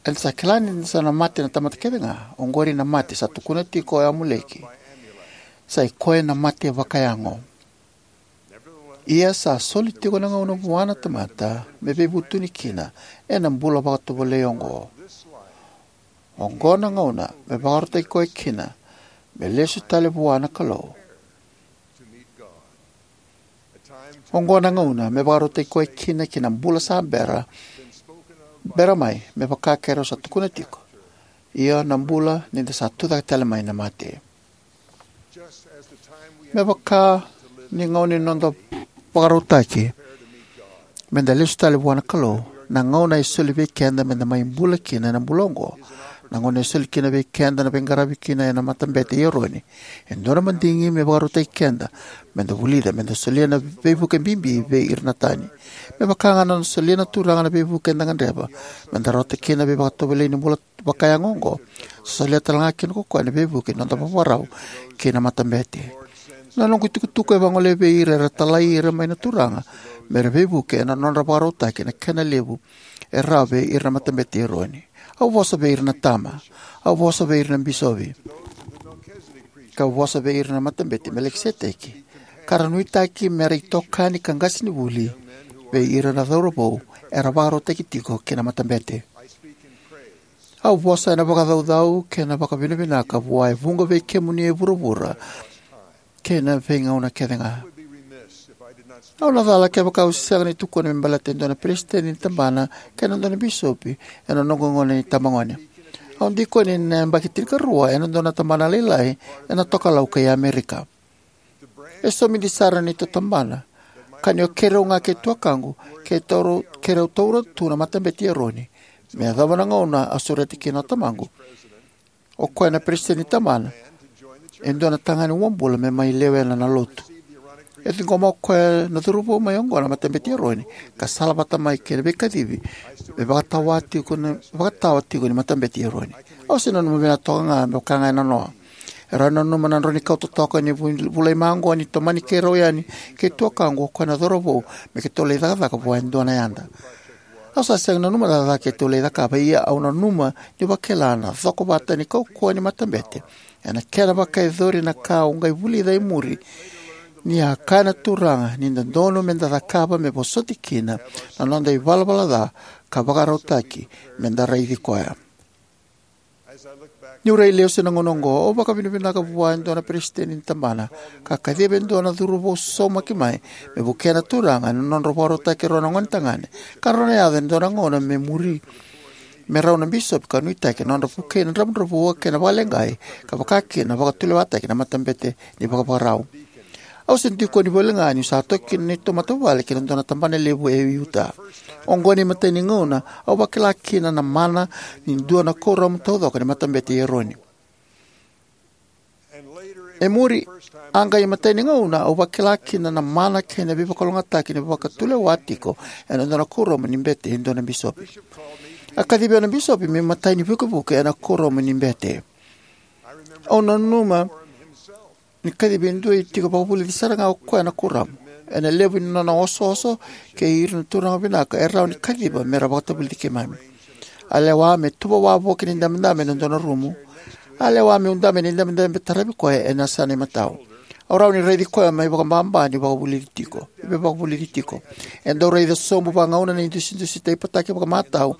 eda sa kila ni da sa na mate na tamata kece ga, oqori na mate sa tukuna tiko o Amuleki. Sa i koya na mate vakayago. Ia sa soli tiko na gauna vua na tamata me veivutuni kina ena bula vakatovolei oqo. Oqo na gauna me vakarautaki koya kina me lesu tale vua na Kalou. Oqo na gauna me vakarautaki koya kina ki na bula sa bera, bera mai, me vaka keirau sa tukuna tiko, io, na bula ni da sa tucake tale mai na mate. Me vaka ni gauna ni noda vakarautaki me da lesu tale vua na Kalou, na gauna e soli vei keda me da mai bula kina ena bula oqo, na gauna e soli kina vei keda na veiqaravi kina ena Matabete i Eroni, e dua na madigi me vakarautaki keda me da vulica me da solia na veivuke bibi vei ira na tani. Me vaka ga na nona solia na Turaga na veivuke eda gadreva me da rawata kina na veivakatovolei ni bula vakayago oqo, sa solia tale ga kina ko koya na veivuke ni noda vakavakarau ki na matabete. Na noqu itukutuku e vagolea vei ira era talai ira mai na Turaga me ra veivuke ena nodra vakarautaki na kena levu e rawa vei ira na Matabete i Eroni. Au vosa vei ira na tama. Au vosa vei ira na bisopi. Kau vosa vei ira na Matabete i Melikiseteki, ka ra nuitaki me ra itokani ka qasenivuli vei ira na cauravou era vakarautaki tiko ki na matabete. Au vosa ena vakacaucau kei na vakavinavinaka vua e vuqa vei kemuni e vuravura kei na veigauna kece ga. Au na cala kevaka au sega ni tukuna me baleta e dua na peresitedi ni tabana kei na dua na bisopi ena noqu gauna ni tabagone. Au dikoni ena yabaki tinikarua ena dua na tabana lailai ena tokalau kei Amerika. E somidi sara na neitou tabana, ka ni o keirau ga kei tuakaqu, kei taura, keirau taura tu na Matabete i Eroni, me yacova na gauna a sureta kina o tamaqu, o koya na peresitedi ni tabana, e dua na tagane uabula me mai lewena na lotu. E ciqoma o koya na cauravou mai oqo na Matabete i Eroni, ka salavata mai kei na veikacivi me vakatawa tiko ni, vakatawa tiko ni Matabete i Eroni. Au se nanuma vinaka toka ga me vaka ga e nanoa. E rawa ni nanuma na drau ni kau totoka ni vu-, vulai maqo ni tomani keirau yani kei tuakaqu o koya na cauravou me keitou lai cakacaka vua e dua na yada. Au sa sega ni nanuma cakacaka keitou lai cakava, ia au nanuma niu vakila na cokovata ni kaukauwa ni matabete ena kena vakayacori na ka au qai vulica e muri, ni a kaya na Turaga ni dodonu me da cakava me vosoti kina na noda ivalavala ca ka vakarautaki me da raici koya. Niu rai lesu ena gauna oqo, au vakavinavinaka vua e dua na peresitedi ni tabana, ka kaciva e dua na cauravou saumaki mai me vukea na Turaga ena nodra vakarautaki rau na gone tagane, ka rau na yaco ena dua na gauna me muri me rau na bisopi ka nuitaki na nodra vukei na dravudravua kei na vakaleqai, ka vaka kina na vakatulewataki na matabete ni vakavakarau. Au se dikoni voli ga niu sa toki kina na neitou matavuvale ki na dua na tabana levu e Utah. Oqo na imatai ni gauna au vakila kina na mana ni dua na kuoramu taucoko ni Matabete i Eroni. E muri, a qai imatai ni gauna au vakila kina na mana kei na veivakalougatataki ni vakatulewa tiko ena dua na kuoramu ni bete e dua na bisopi. A kacivi au na bisopi me imatai ni vukevuke ena kuoramu ni bete. Au nanuma ni kacivi e dua e tiko vakavulici sara ga o koya na kuoramu. Ena levu ni nona osooso kei ira na turaga vinaka e rawa ni kaciva me ra vakatavulici keimami. A lewa me tuva wavoki na idabedabe ena dua na rumu. A lewa meu dabe na idabedabe taravi koya ena yasana imatau. Au rawa ni raici koya mai vakababa ni vakavulici tiko, me vakavulici tiko. E dau raica sobu vagauna na idusidusi taipataki vakamatau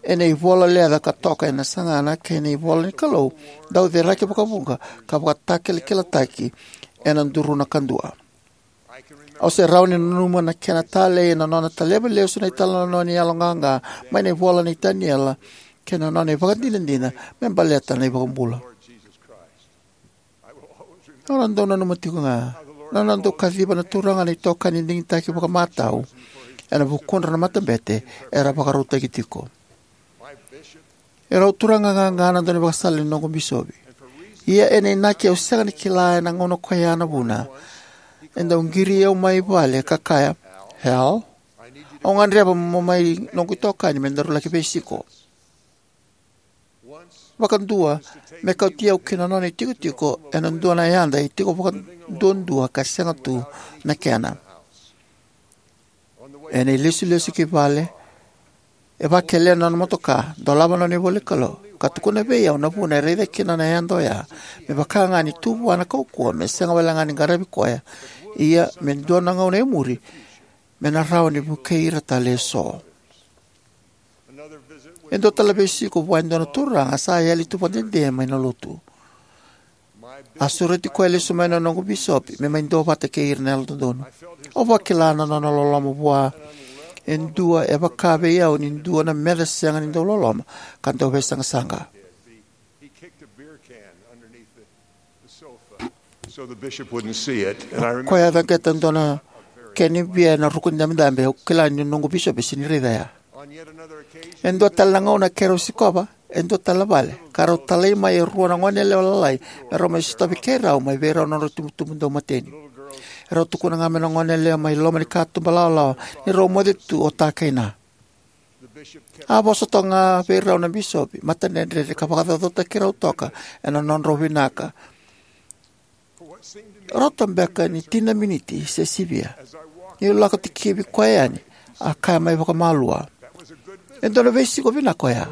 ena ivola leca ka toka ena sagana kei na ivola ni Kalou dau ceraki vakavuqa ka vakatakilakilataki ena duruna kadua. Au se rawa ni nanuma na kena talei ena nona taleva lesu na italanoa ni yaloqaqa mai na ivola nei Taniela kei na nona ivakadinadina me baleta na iVakabula. Au na dau nanuma tiko ga na nona dau kaciva na Turaga na itokani digitaki vakamatau ena vukudra na matabete era vakarautaki tiko. E rau turaga qaqa na daunivakasala ni noqu bisopi. Ia ena inaki au sega ni kila ena gauna koya na vuna, e dau qiri au mai vale ka kaya, "Hal, au gadreva mo mai noqu itokani me daru laki veisiko." Vakadua, me kauti au ki na nona itikotiko ena dua na yada e tiko vakaduadua ka sega tu na kena. Ena ilesulesu ki vale, e vakelea na nona motoka, dolava na nona ivola ni Kalou, ka tukuna vei au na vuna e raica kina na yada oya, me vaka ga ni tu vua na kaukauwa me sega wale ga ni qaravi koya Ia, me dua na gauna e muri, me na rawa ni vukei ira tale eso. E dua tale na veisiko vua e dua na turaga sa yali tu vakadede mai na lotu. A sureti koya lesu mai na noqu bisopi me mai duavata kei ira na Yalododonu. Au vakila na nona loloma vua e dua e vaka vei au ni dua na meca sega ni dau loloma ka dau veisaqasaqa. He kicked a beer can underneath the, the sofa so the bishop wouldn't see it. And I remember. Koya a caqeta dua na kena bia ena ruku ni dabedabe. Au kila ni noqu bisopi e sega ni raica ya. On yet another occasion, e dua tale na gauna keirau sikova e dua tale na vale, ka rau talai mai e rua na goneyalewa lalai me rau mai sotavi keirau mai vei rau na nodrau itubutubu daumateni. Erau tukuna ga mai na goneyalewa mai loma ni katuba lawalawa ni rau moce tu o ta kei na. A vosa toka ga vei rau na bisopi, matadredredre, ka vakacaucautaki rau toka ena nodrau vinaka. Rauta beka ni tini na miniti se sivia, niu lako tikivi koya yani, a kaya mai vakamalua, "E dua na veisiko vinaka oya.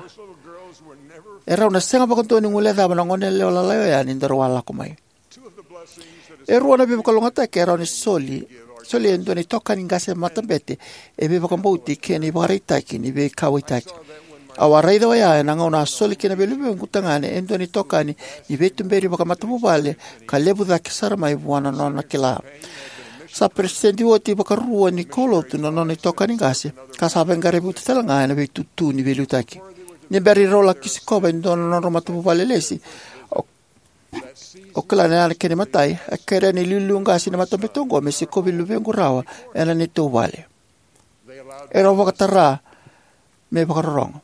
E rau na sega vakadua ni guilecava na goneyalewa lalai oya ni daru a lako mai." E rua na veivakalougatataki e rawa ni soli, soli e dua na itokani qase matabete, e veivakabauti kei na ivakaraitaki ni veikauwaitaki. Au a raica oya ena gauna a soli kina vei luvequ tagane e dua na itokani ni veituberi vakamatavuvale ka levu cake sara mai vua na nona kila. Sa peresitedi oti vakarua ni kaulotu na nona itokani qase, ka sa veiqaravi oti tale ga ena veitutu ni veiliutaki. Ni bera ni rau laki sikova e dua na nodrau matavuvale lesi, o O kila na yana kena imatai, a kerea na iliuliu qase ni matabete oqo me sikovi luvequ rawa ena neitou vale. Erau vakatara me vakarorogo.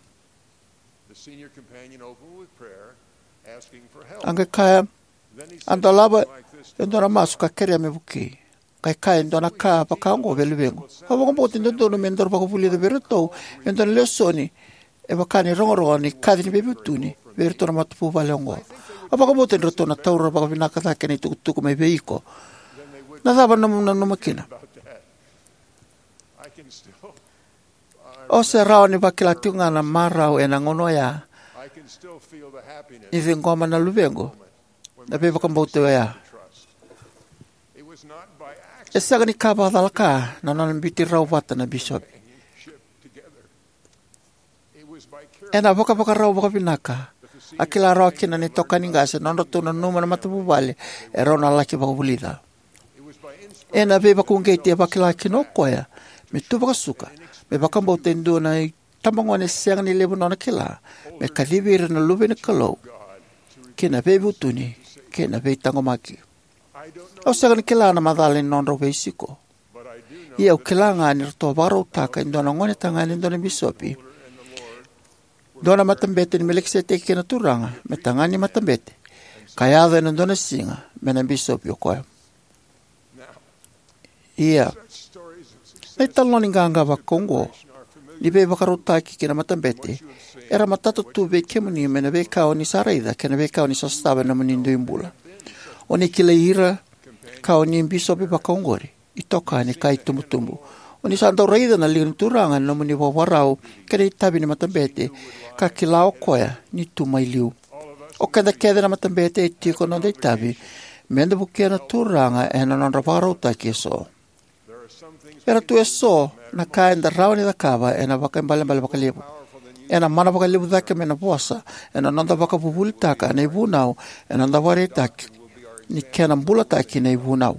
A qai kaya, a dolava e dua na masu ka kerea me vukei. Qai kaya e dua na ka vaka oqo vei luvequ. Au vakabauta e dodonu me daru vakavulica vei iratou e dua na lesoni e vaka ni rogorogo ni kaci ni veivutuni vei iratou na matavuvale oqo. Au vakabauta ni ratou na taura vakavinaka cake na itukutuku mai vei iko. Na cava na nomu nanuma kina? Au se rawa ni vakila tiko ga na marau ena gauna oya ni ciqoma na luvequ na veivakabauti oya. E sega ni ka vakacalaka na nona biuti rau vata na bisopi. Ena vakavakarau vakavinaka a kila rawa kina na itokani qase na nodratou nanuma na matavuvale e rau na laki vakavulica. Ena veivakauqeti e vakila kina o koya me tu vakasuka me vakabauta e dua na itabagone sega ni levu nona kila me kacivi ira na luve ni Kalou ki na veivutuni kei na veitaqomaki. Au sega ni kila na macala ni nodrau veisiko. Ia au kila ga ni ratou vakarautaka e dua na gonetagane, e dua na bisopi, dua na matabete ni Melikiseteki kei na Turaga me tagane ni matabete, ka yaco ena dua na siga me na bisopi o koya. Ia, na italanoa ni qaqa vaka oqo ni veivakarautaki ki na matabete era matata tu vei kemuni mai na veika o ni sa raica kei na veika o ni sa sotava ena nomuni dui bula. O ni kilai ira ka o ni bisopi vaka oqori, itokani ka itubutubu. O ni sa dau raica na liga ni Turaga ena nomuni vakavakarau kei na itavi ni matabete ka kila o koya ni tu mai liu. O keda kece na matabete e tiko na noda itavi me da vukea na Turaga ena nodra vakarautaki eso. Era tu eso na ka eda rawa ni cakava ena vakaibalebale vakalevu. Ena mana vakalevu cake mai na vosa ena noda vakavuvulitaka na ivunau ena noda vakaraitaki ni kena bulataki na ivunau.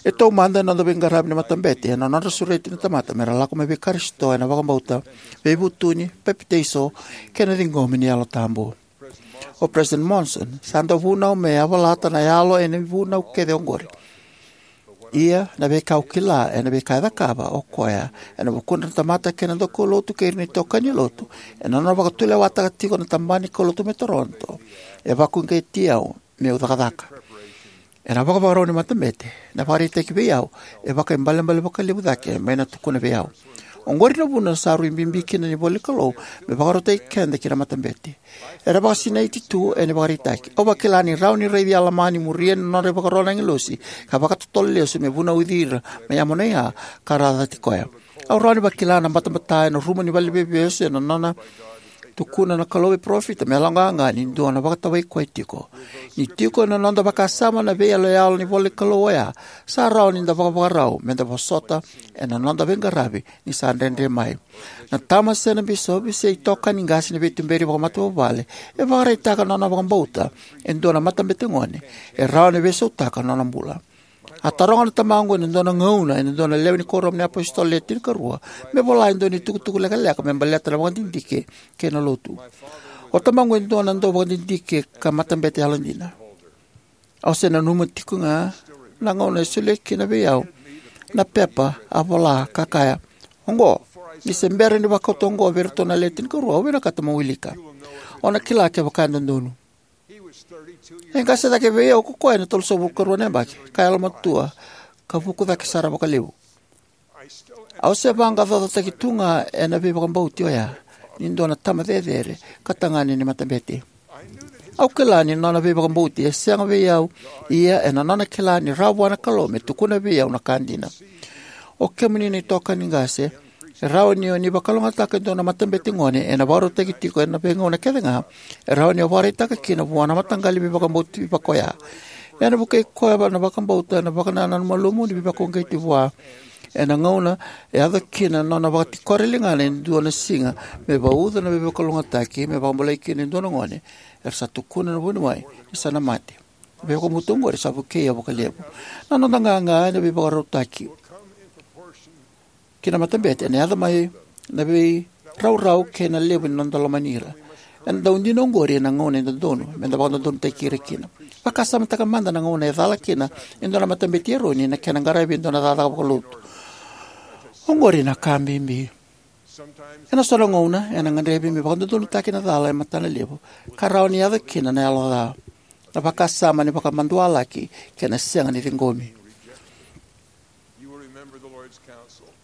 E taumada ena noda veiqaravi ni matabete ena nodra sureti na tamata me ra lako mai vei Karisito ena vakabauta, veivutuni, papitaiso, kei na ciqomi ni Yalo Tabu. O President Monson sa dau vunau me yavalata na yalo ena ivunau kece oqori. Ia, na veika au kila ena veika e cakava o koya ena vukudra na tamata kei na daukaulotu kei ira na itokani lotu ena nona vakatulewataka tiko na tabana ni kaulotu mai Toronto e vakauqeti au meu cakacaka. Ena vakavakarau ni matabete, na vakaraitaki vei au e vakaibalebale vakalevu cake mai na tukuna vei au. Oqori na vuna sa rui bibi kina na ivola ni Kalou me vakarautaki keda ki na matabete. Era vakasinaiti tu ena ivakaraitaki. Au vakila ni rawa ni raici Alama ni muria na nodra ivakaro na agilosi ka vakatotolo lesu me vunauci ira mai Amonaia ka ra a cati koya. Au rawa ni vakila na batabata ena rumu ni valeniveivesu ena nona Tukuna na Kalou vei parofita me yaloqaqa ni dua na vakatawai koya tiko. Ni tiko ena noda vakasama na veiyaloyalo ni ivolanikalou oya, sa rawa ni da vakavakarau me da vosota ena noda veiqaravi ni sa dredre mai. Na tama se na bisopi se itokani qase ni veituberi vakamatavuvale e vakaraitaka na nona vakabauta e dua na matabete gone e rawa ni veisautaka na nona bula. A taroga na tamaqu ena dua na gauna ena dua na lewe ni Kuoramu ni iApositolo Le Tinikarua me vola e dua na itukutuku lekaleka me baleta na vakadidike kei na lotu. O tamaqu e dua na dauvakadidike ka matabete yalodina. Au se nanuma tikoga na gauna e solia kina vei au na pepa a vola ka kaya, "Oqo, ni se bera ni vakauta oqo vei iratou na Le Tinikarua, au vinakata mo wilika. O na kila kevaka e dodonu." E qase cake vei au ko koya ena tolusagavulu karua na yabaki, ka yalomatua, ka vuku cake sara vakalevu. Au se vaqaqacotaki tu ga ena veivakabauti oya ni dua na tama cecere ka tagane ni matabete. Au kila ni nona veivakabauti e sega vei au, ia ena nona kila ni rawa vua na Kalou me tukuna vei au na ka dina. O kemuni na itokani qase, e rawa ni o ni vakalougatataka e dua na matabete gone ena vakarautaki tiko ena veigauna kece ga e rawa ni o vakaraitaka kina vua na mataqali veivakabauti vaka oya. Ena vukei koya na vakabauta ena vakanananu malumu ni veivakauqeti vua. Ena gauna e yaco kina na nona vakatikora e ligana e dua na siga me vauca na veivakalougatataki me vakabulai kina e dua na gone, era sa tukuna na vuniwai ni sa na mate. Na veivakabauta oqori sa vukei au vakalevu. Na noda qaqa ena veivakarautaki ki na matabete ena yaco mai na veiraurau kei na levu ni noda lomani ira. Ena dau dina oqori ena gauna e dodonu me da vakadodonutaki ira kina. Vakasamataka mada na gauna e cala kina e dua na matabete i Eroni ena kena qaravi e dua na cakacaka vakalotu. Oqori na ka bibi. Ena so na gauna ena gadrevi me vakadodonutaki na cala e matanalevu, ka rawa ni yaco kina na yalo ca, na vakasama ni vakamadualaki kei na sega ni ciqomi.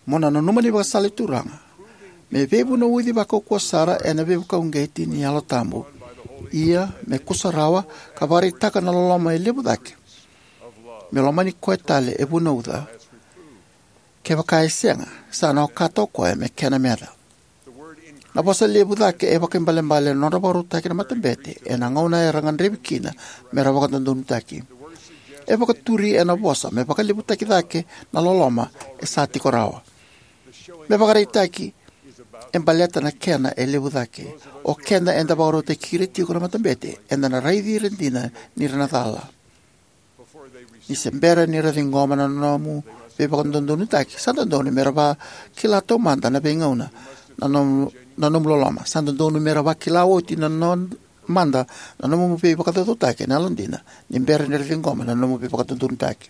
Mo na nanuma na ivakasala ni Turaga me veivunauci vakaukauwa sara ena veivakauqeti ni Yalo Tabu, ia me kusarawa ka vakaraitaka na loloma e levu cake, me lomani koya tale e vunauca. Kevaka e sega, sa na okata o koya me kena meca. Na vosa levu cake e vakaibalebale na nodra vakarautaki na matabete ena gauna era gadrevi kina me ra vakadodonutaki. E vakaturi ena vosa me vakalevutaki cake na loloma e sa tiko rawa. Me vakaraitaki e baleta na kena e levu cake. O keda eda vakarautaki ira tiko na matabete, eda na raici ira dina ni ra na cala. Ni se bera ni ra ciqoma na nomu veivakadodonutaki, sa dodonu me ra vakila taumada na veigauna na nomu, na nomu loloma. Sa dodonu me ra vakila oti na no, mada na nomu veivakacaucautaki ena yalodina ni bera ni ra ciqoma na nomu veivakadodonutaki.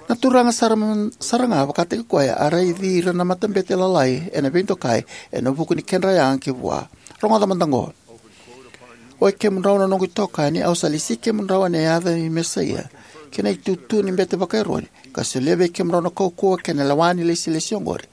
Na Turaga sara, sara ga vakataki koya a raici ira na matabete lalai ena veidokai ena vuku ni kedra yaga ki vua. Rogoca mada oqo. Oi kemudrau na noqu itokani, au sa lesi kemudrau ena yaca i Mesaia kei na itutu ni bete vaka-Eroni, ka solia vei kemudrau na kaukauwa kei na lewa ni ilesilesi oqori.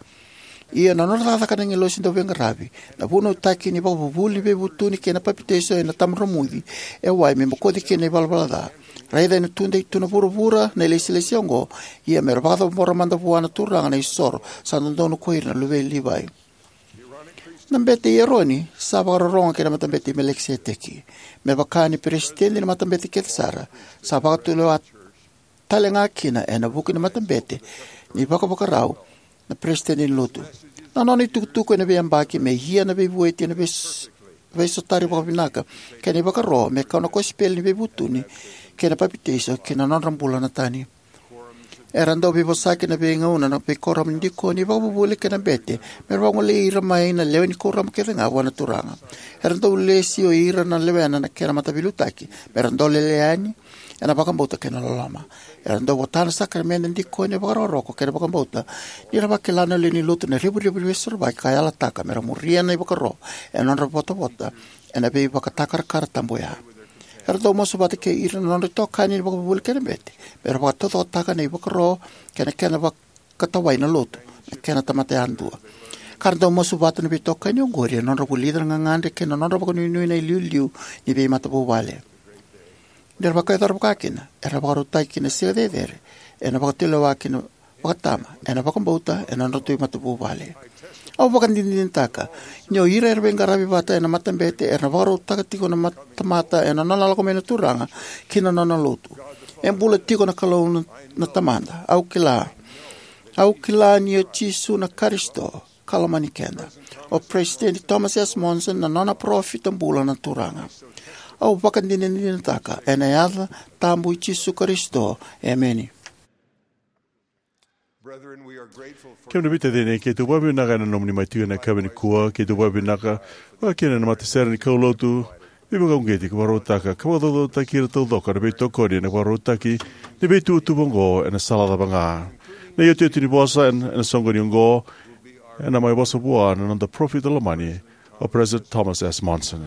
Ia na nodra cakacaka na agilosi dauveiqaravi, na vunautaki ni ivakavuvuli ni veivutuni kei na papitaiso ena tabadromuci e wai me bokoci kina na ivalavala ca. Raica ena tudei tu na vuravura na ilesilesi oqo, ia me ra vakacabora mada vua na Turaga na isoro sa dodonu ko ira na luve i Livai. Na bete i Eroni sa vakarorogo ki na matabete i Melikiseteki. Me vaka ni peresitedi ni matabete kece sara, sa vakatulewa tale ga kina ena vuku ni matabete ni vakavakarau na peresitedi ni lotu. Na nona itukutuku ena veiyabaki me ia na veivueti ena veis-, veisotari vakavinaka kei na ivakaro me kau na kosipeli ni veivutuni kei na papitaiso ki na nodra bula na tani. Era dau veivosaki ena veigauna na veikuoramu ni dikoni, ivakavuvuli kei na bete me ra vagolei ira mai na lewe ni kuoramu kece ga vua na Turaga. Era dau lesi o ira na lewena na kena mataveiliutaki me ra dolele yani ena vakabauta kei na loloma. Era dau vota na sakaramede, dikoni, vakarokoroko kei na vakabauta ni ra vakila na lewe ni lotu na revurevu ni Veisorovaki ka yalataka me ra muria na ivakaro ena nodra votavota ena veivakatakarakara tabu oya. Era dau masu vata kei ira na nodra itokani ni vakavuvuli kei na bete me ra vakataucokotaka na ivakaro kei na kena vakatawai na lotu, na kena tamata yadua. Ka ra dau masu vata na veitokani oqori ena nodra vulica na gagadre kei na nodra vakanuinui na iliuliu ni veimatavuvale. Ni ra vakayacora vakakina, era vakarautaki ki na siga cecere ena vakatulewa kina vakatama ena vakabauta ena nodratou imatavuvale. Au vakadinadinataka ni o ira era veiqaravi vata ena matabete era na vakarautaka tiko na mat- tamata ena nona lako mai na Turaga ki na nona lotu. E bula tiko na Kalou na, na Tamada. Au kila. Au kila ni o Jisu na Karisito ka lomani keda. O Peresitedi Thomas S. Monson na nona parofita bula na Turaga. Au vakadinadinataka ena yaca tabu i Jisu Karisito. Emeni. Kemuni veitacini, keitou vakavinavinaka ena nomuni mai tiko ena yakavi nikua. Keitou vakavinavinaka vakakina na matasere ni kaulotu veivakauqeti ka vakarautaka ka vakacaucautaki ira taucoko na veitokoni ena vakarautaki ni veituvatuva oqo ena sala cava ga. Na iotioti ni vosa ena, ena soqoni oqo ena mai vosa vua na noda parofita lomani, o Peresitedi Thomas S. Monson.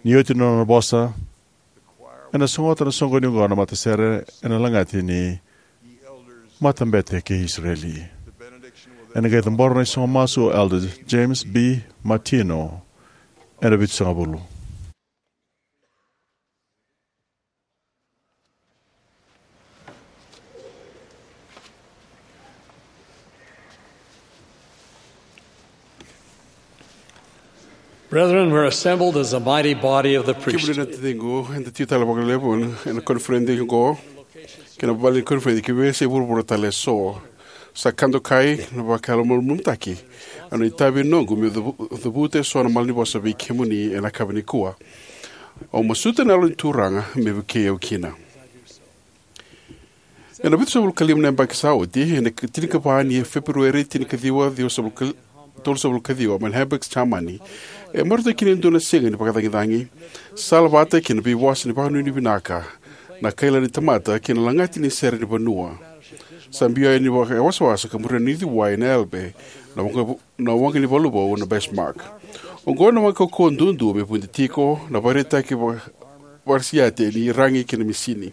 Ni oti na nona vosa, ena sogota na soqoni oqo na matasere ena lagati ni Matabete kei Isireli. Ena qai cabora na isago masu o Elder James B. Martino ena vitusagavulu. Brethren, we're assembled as a mighty body of the priesthood. Kemuni na taciqu, eda tiko tale vakalevu ena, ena koniferedi oqo, kei na vale ni koniferedi ki veiyasai vuravura tale eso. Sa ka dokai na vakayalomalumalumutaki, a na itavi noqu meu cavu-, cavuta eso na malanivosa vei kemuni ena yakavi nikua. Au masuta na Yalo ni Turaga me vukei au kina. Ena vitusagavulu ka lima na yabaki sa oti, ena tinikava ni Feperueri, tinikaciwa, ciwasagavulu ka, tolusagavulu ka ciwa, mai na Hamburg, Jamani, e marautaki kina e dua na siga ni vakacagicagi. Sala vata kei na veiwasa ni vakanuinui vinaka, na kaila ni tamata kei na lagati ni sere ni vanua. Sa biu yani vakawasawasa ka muria na inuciwai na Elbe, na waqa, na waqa ni valu vou na Bismarck. Oqo na waqa kaukauwa duadua me vudi tiko, na vakaraitaki va-, vakarasiate ni ragi kei na misini.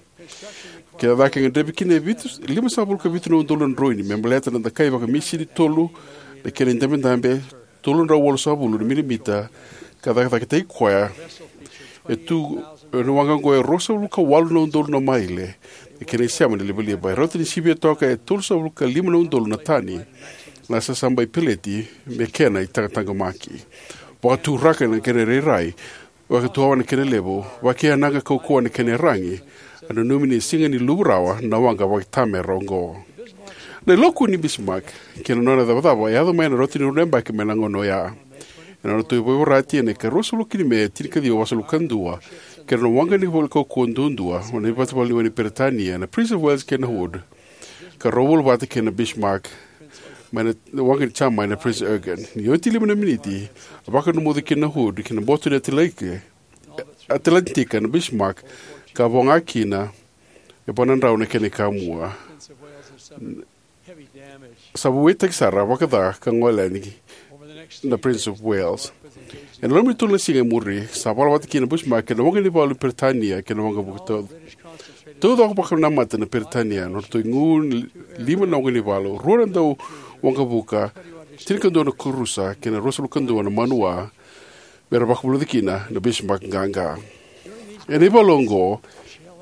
Kena cake e gadrevi kina e vitu, limasagavulu ka vitu na udolu na droini me baleta na dakai vakamisini tolu, na kena idabedabe tolu na drau walusagavulu na milimita, ka cakacakataki koya e tu ena waqa oqo e ruasagavulu ka walu na udolu na maile, na kena isema ni livaliva. E rauta ni sivia toka e tolusagavulu ka lima na udolu na tani na sasabai peleti me kena itataqomaki. Vakaturaka na kena irairai, vakatuawa na kena levu, vakayanaqa kaukauwa na kena iyaragi, a nanumi ni sega ni luvu rawa na waqa vakaitamera oqo. Na iloa kua ni Bismarck kei na nona icavacava e yaco mai ena rauta ni rua na yabaki mai na gauna oya. Ena nona tauyavu vakaivorati ena ikaruasagavulu ka tini Me, tinikaciwa vasagavulu ka dua, kei na nona waqa ni vale kaukauwa duadua, na ivakavuvuli ni Peritania, na Prince of Wales kei na Hood, ka rau vola vata kei na Bismarck mai na waqa ni Jamani na Prince Eugen. Ni oti lima na miniti, a vakanumoco kina na Hood ki na boto ni Atlantika, Atlantika na Bismarck, ka vo ga kina e va na drau na kena ikamua. Sa vuetaki sara vakaca ka gole yani na Prince of Wales. Ena loma ni tolu na siga e muri, sa vala vata kina na Bismarck ena waqa ni valu ni Peritania kei na waqavuka tau-, taucoko vakanamata na Peritania, na nodratou igu ni lima na waqa ni valu, rua na dau waqavuka, tinikadua na kurusa, kei na ruasagavulu ka dua na manua, me ra vakavulica kina na Bismarck qaqa. Ena ivalu oqo,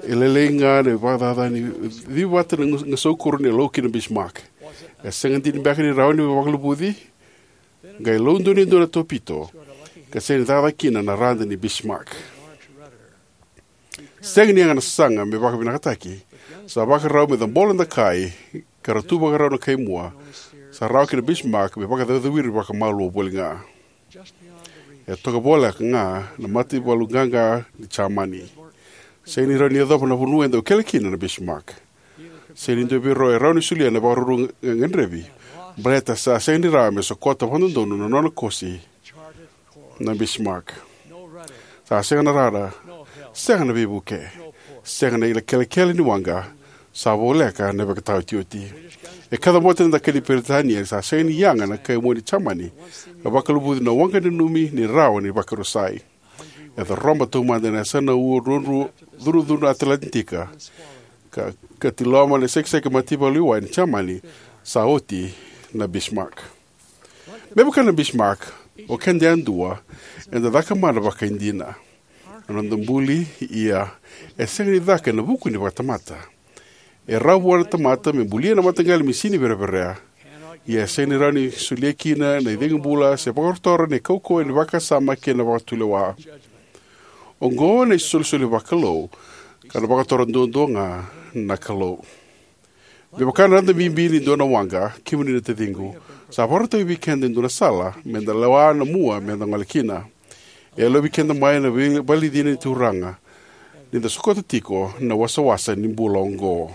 e lailai ga na ivakacacani, civata na gu-, gasaukuro ni lau kina Bismarck. E sega dina beka ni rawa ni vakaluvuci, qai lau donuya e dua na topito, ka sega ni cakacaka kina na rada ni Bismarck. Sega ni yaga na sasaga me vakavinakataki, sa vakarau me cabola dakai, ka ra tu vakarau na kaimua, sa rawa kina Bismarck me vakacaucau ira vakamalua voli ga. E toka voleka ga na mataivalu qaqa ni Jamani. Sega ni rawa ni yacova na vanua e dau kele kina na Bismarck. Sega ni dua vei rau e rawa ni solia na vakaruru ga-, gadrevi. Baleta sa sega ni rawa me sokota vakadodonu na nona kosi na Bismarck. Sa sega na rara, sega na veivuke, sega na ilakelekele ni waqa, sa voleka na ivakataotioti. E kacabote na dakai ni Peritania, sa sega ni yaga na kaimua ni Jamani, ka vakaluvuci na waqa nanumi ni rawa ni vakarusai. E coroba taumada ena yasana ua ruarua, curucuru na Atlantika, ka, ka tiloma na isekiseki mataivalu wai ni Jamani, sa oti na Bismarck. Me vaka na Bismarck, o keda yadua, eda cakamana vakaidina. Na noda buli, ia, e sega ni caka ena vuku ni vakatamata. E rawa vua na tamata me bulia na mataqali misini vereverea. Ia e sega ni rawa ni solia kina na icegu bula se vakatotora na kaukauwa ni vakasama kei na vakatulewa. Oqo na isolisoli vakalou, ka na vakatora duadua ga na Kalou. Me vaka na rada bibi ni dua na waqa, kemuni na taciqu, sa vakarautaki vei keda e dua na sala me da lewa na mua me da gole kina. E yalovi keda mai na vei- valenicina ni Turaga ni da sokota tiko na wasawasa ni bula oqo.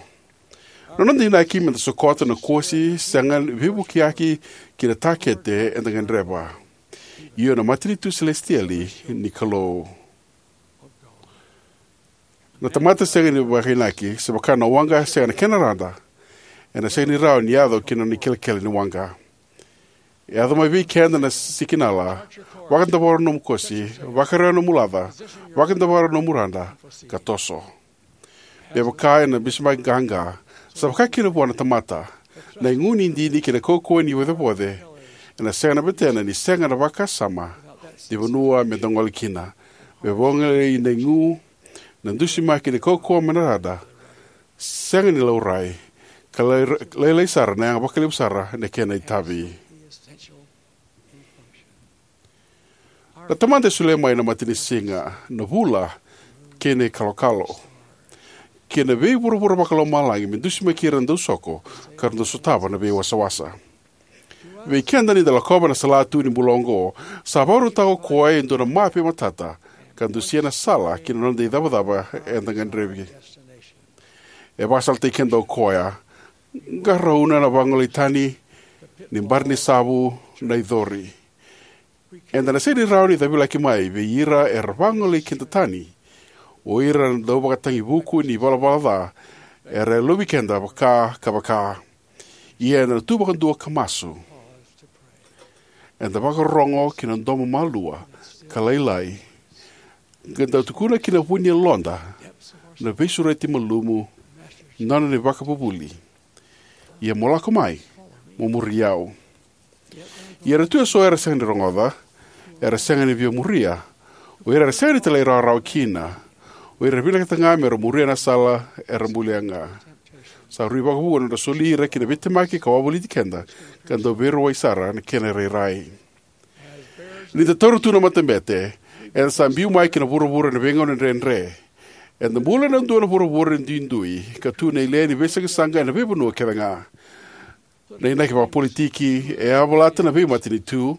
Na noda inaki me da sokota na kosi sega ni veivukiyaki ki na takete eda gadreva, io na matanitu selesitieli ni Kalou. Na tamata sega ni vakainaki, se vaka na waqa sega na kena rada, ena sega ni rawa ni yaco ki na nona ikelekele ni waqa. E yaco mai vei keda na sikinala: vakadavora nomu kosi, vakarawa nomu laca, vakadavora nomu rada, ka toso. Me vaka ena bisimaki qaqa, sa vaka kina vua na tamata, na igu ni dini kei na kaukauwa ni vocevoce ena sega na betena ni sega na vakasama ni vanua me da gole kina. Me vagolei na igu, na dusimaki ni kaukauwa mai na rada sega ni laurai, ka lai- lailai sara na yaga vakalevu sara na kena itavi. Na Tamada e solia mai na matanisiga, na vula, kei na ikalokalo, kei na veivuravura vakalomalagi me dusimaki ira na dausoko ka ra dau sotava na veiwasawasa. Vei keda, ni da lakova na salatu ni bula oqo, sa vakarautaka o Koya e dua na mape matata ka dusia na sala ki na noda icavacava eda gadrevi. E vakasalataki keda o Koya: Qarauna na vagolei tani, ni bari ni savu na icori. Eda na sega ni rawa ni cavilaki mai vei ira era vagolei keda tani, o ira na dauvakatagivuku ni valavala ca era yalovi keda vaka ka vaka. Ia eda na tu vakadua ka masu. Eda vakarorogo ki na domo malua ka lailai, ka da tukuna ki na vu ni yaloda na veisureti malumu, nona na ivakavuvuli: Ia mo lako mai, mo muri au. Ia era tu eso era sega ni rogoca, era sega ni via muria, o ira era sega ni talairawarawa kina, o ira era vinakata ga me ra muria na sala era bulia ga. Sa rui vakavuqa na nodra soli ira ki na veitemaki ka wavoliti keda, ka dau veirauwai sara na kena irairai. Ni da taura tu na matabete, eda sa biu mai ki na vuravura ena veigauna dredre. Eda bula ena dua na vuravura duidui, ka tu na ile ni veisaqasaqa ena veivanua kece ga. Na inaki vakapolitiki e yavalata na veimatanitu,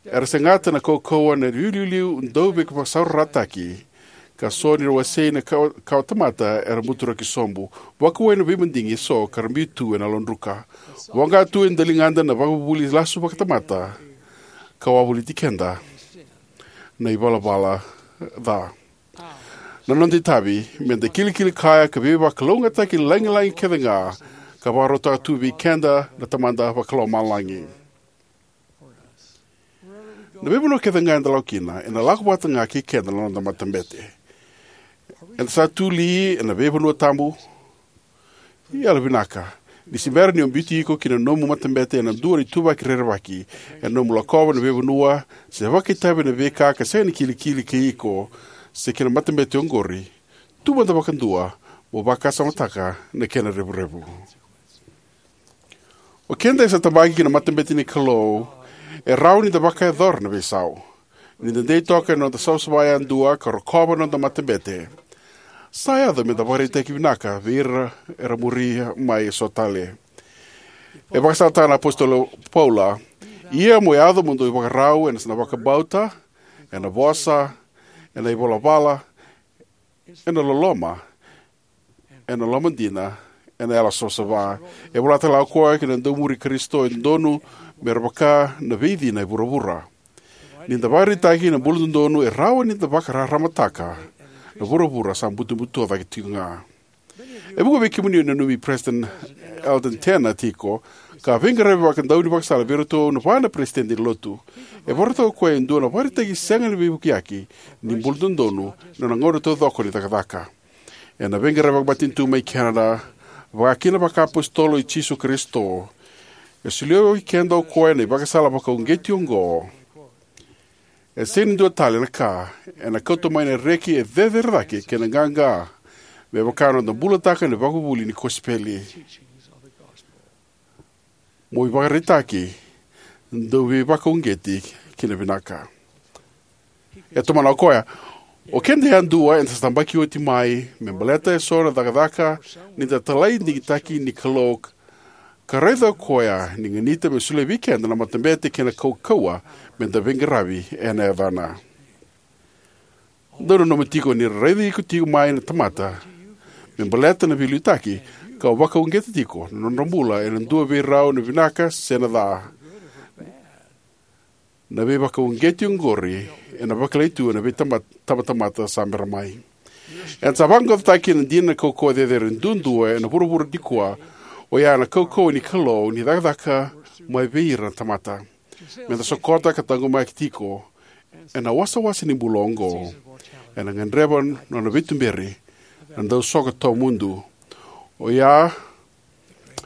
era segata na kaukauwa na iliuliu dauveivakasaurarataki, ka so ni wasei na kawa, kawatamata era buturaki sobu, vakauwai na veimadigi eso ka ra biu tu ena yalodruka. Voqa tu e daligada na vakavuvuli lasu vakatamata, ka wavoliti keda na ivalavala ca. Na noda itavi me da kilikili kaya ka veivakalougatataki lagilagi kece ga ka vakarautaka tu vei keda na Tamada Vakalomalagi. Na veivanua kece ga eda lako kina, ena lako vata ga kei keda na noda matabete. Eda sa tu li ena veivanua tabu? Yalovinaka, ni se bera ni o biuti iko ki na nomu matabete ena dua na ituvaki rerevaki, ena nomu lakova na veivanua, se vakaitavi ena veika ka sega ni kilikili kei iko, se ki na matabete oqori, tu mada vakadua mo vakasamataka na kena revurevu. O keda e sa tabaki ki na matabete ni Kalou, e rawa ni da vakayacora na veisau. Ni da dei toka ena noda savasava yadua ka rokova na noda matabete, sa yaco me da vakaraitaki vinaka vei ira era muri mai eso tale. E vakasalataka na apositolo Paula: Ia mo yaco mo dou ivakarau ena vakabauta, ena vosa, ena ivalavala, ena loloma, ena lomadina, ena yalo savasava. E vola tale ga o koya ki na dau muri Karisito e dodonu me ra vaka na veicina e vuravura. Ni da vakaraitaki na bula dodonu, e rawa ni da vakararamataka na vuravura sa butobuto cake tiko ga. E vuqa vei kemuni o nanumi President Eldon Tanner tiko, ka veiqaravi vakadaunivakasala vei iratou na va na peresitedi ni Lotu. E vakarautaka o koya e dua na vakaraitaki sega ni veivukiyaki ni bula dodonu ena nona gauna taucoko ni cakacaka. Ena veiqaravi vakamatanitu mai Canada, vaka kina na vakaapositolo i Jisu Karisito, e solia vei keda o koya na ivakasala vakauqeti oqo: E sega ni dua tale na ka ena kauta mai na reki e cecere cake kei na qaqa me vaka na noda bulataka na ivakavuvuli ni kosipeli. Mo ivakaraitaki, dou veivakauqeti ki na vinaka. E tomana o koya, o keda yadua eda sa tabaki oti mai me baleta eso na cakacaka ni da talai digitaki ni Kalou, ka raica o koya ni ganita me solia vei keda na matabete kei na kaukauwa me da veiqaravi ena yacana. Dou nanuma tiko ni ra raici iko tiko mai na tamata me baleta na veiliutaki, ka vakauqeta tiko na nodra bula ena dua vei rau na vinaka se na ca. Na veivakauqeti oqori ena vakilai tu ena veitabatamata sa bera mai. Eda sa vaqaqacotaki ena dina na kaukauwa cecere duadua ena vuravura nikua, oya na kaukauwa ni Kalou ni cakacaka mai vei ira na tamata. Meda sokota ka taqomaki tiko ena wasawasa ni bula oqo, ena gadreva nona veituberi na dausoka tawamudu, oya,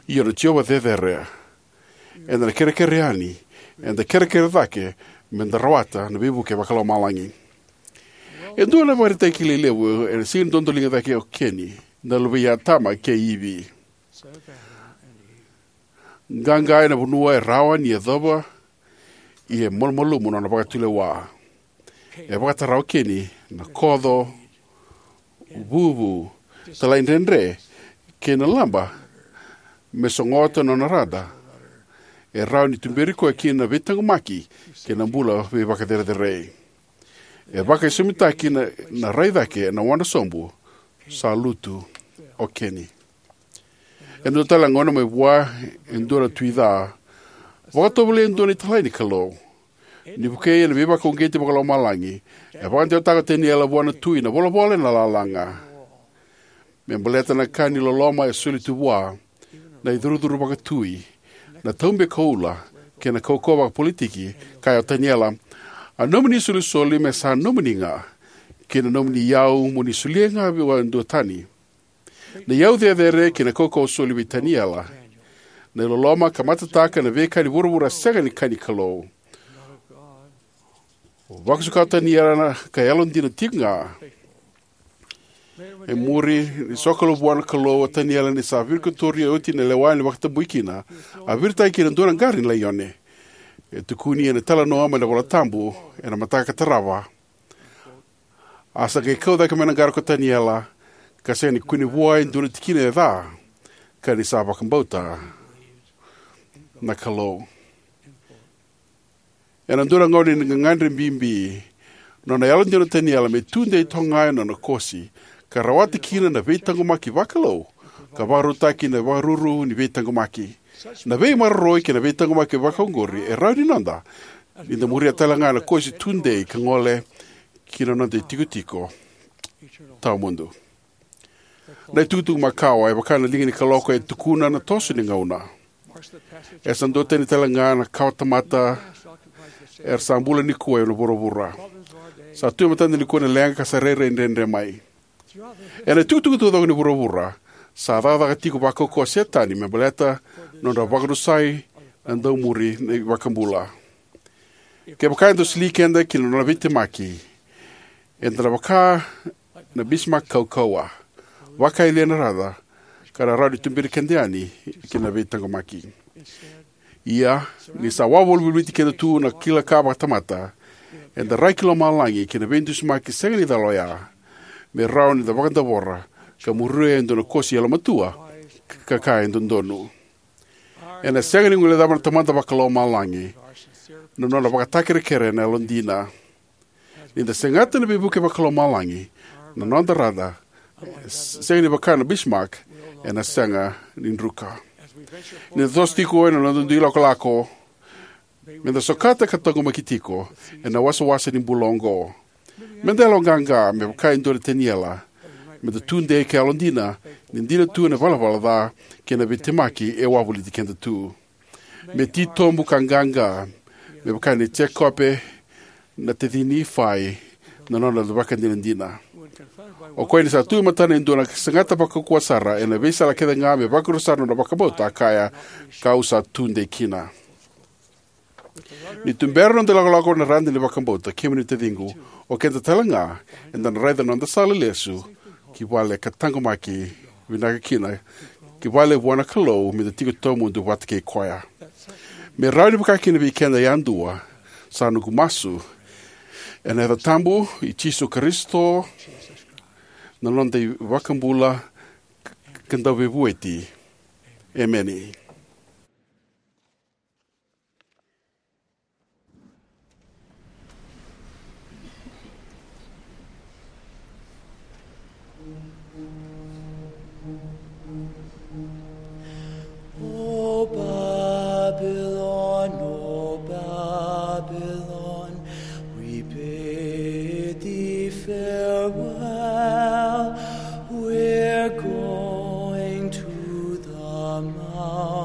io, na Jiova cecere. Eda na kerekere yani, eda kerekere cake meda rawata na veivuke vakalomalagi. E dua na ivakaraitaki kilai levu ena sega ni dodoliga cake o Keni, na luve i Atama kei Ivi. Qaqa ena vanua e rawa ni yacova, ia e malumalumu nona vakatulewa. E vakatara o Keni na koco, vuvu, talaidredre, kei na laba me sogota nona rada. E rawa ni tuberi koya kina na veitaqomaki kei na bula veivakacerecerei. E vakaisomitaki na, na rai cake ena wadra sobu, sa lutu o Keni. E dua tale na gauna mai vua e dua na tui ca, vakatovolei e dua na italai ni Kalou. Ni vukei ena veivakauqeti vakalomalagi, e vakadewataka o Taniela vua na tui na volavola ena lalaga. Me baleta na ka ni loloma e soli tu vua, na icurucuru vakatui, na taube koula, kei na kaukauwa vakapolitiki, kaya o Taniela, a nomuni isolisoli me sa nomuni ga, kei na nomuni iyau mo ni solia ga vua e dua tani. Na iyau cecere kei na kaukauwa soli vei Taniela. Na iloloma ka matataka na veika ni vuravura sega ni ka ni Kalou. Vakasuka o Taniela ka yalodina tiko ga. E muri ni sokalou vua na Kalou o Taniela ni sa virikotori oti na lewa ni vakatabui kina, a viritaki kina dua na qara ni laione. E tukuni ena italanoa mai na iVola Tabu ena mataka ka tarava. A sa qai kau cake mai na qara ko Taniela, ka sega ni kune vua e dua na tikina e ca, ka ni sa vakabauta na Kalou. Ena dua na gauna ni gagadre bibi, nona yalodina o Taniela me tudei toka ga ena nona kosi, ka rawata kina na veitaqomaki vakalou, ka vakarautaki na ivakaruru ni veitaqomaki. Na veimaroroi kei na veitaqomaki vakaoqori e rawa ni noda, ni da muria tale ga na kosi tudei ka gole ki na noda itikotiko tawamudu. Na itukutuku makawa e vaka na liga ni kaloko e tukuna na toso ni gauna. E sa duatani tale ga na kawa tamata era sa bula nikua ena vuravura. Sa tu e matada nikua na leqa ka sa rairai dredre mai. Ena itukutuku taucoko ni vuravura, sa cakacaka tiko vakaukauwa o Setani me baleta nodra vakarusai na daumuri ni iVakabula. Kevaka eda soli keda ki na nona veitemaki, eda na vaka na Bismarck kaukauwa, vakayalia na rara, ka na rawa ni tuberi keda yani ki na veitaqomaki. Ia, ni sa wavolivolivuti keda tu na kila ka vakatamata, eda rai ki lomalagi ki na veidusimaki sega ni cala oya, me rawa ni da vakadavora ka muria e dua na kosi yalomatua ka kaya e dodonu. Ena sega ni guilecava na Tamada Vakalomalagi na nona vakatakerekere na yalodina. Ni da segata na veivuke vakalomalagi, na noda rara sega ni vaka na Bismarck, ena sega ni druka. Ni da toso tiko ena noda dui lakolako, me da sokata ka taqomaki tiko ena wasawasa ni bula oqo. Me da yaloqaqa me vaka e dua na Taniela, me da tudei ka yalodina ni dina tu na ivalavala ca kei na veitemaki e wavoliti keda tu. Me titobu ka qaqa me vaka nei Jekope, na taci Nifai, na nona ivakadinadina. O koya ni sa tu e matana e dua na segata vakaukauwa sara ena veisala kece ga me vakarusa na nona vakabauta, a kaya, kau sa tudei kina. Ni tubera na noda ilakolako ena rada ni vakabauta, kemuni na taciqu, o keda tale ga eda na raica na noda sala lesu ki vale ka taqomaki vinaka kina Kivale vua na Kalou me da tiko tawamudu vata kei koya. Me rawa ni vaka kina vei keda yadua, sa noqu masu ena yaca tabu i Jisu Karisito, na noda iVakabula ka Dauveivueti. Emeni. O Babylon, O Babylon, we bid thee farewell. We're going to the mountain.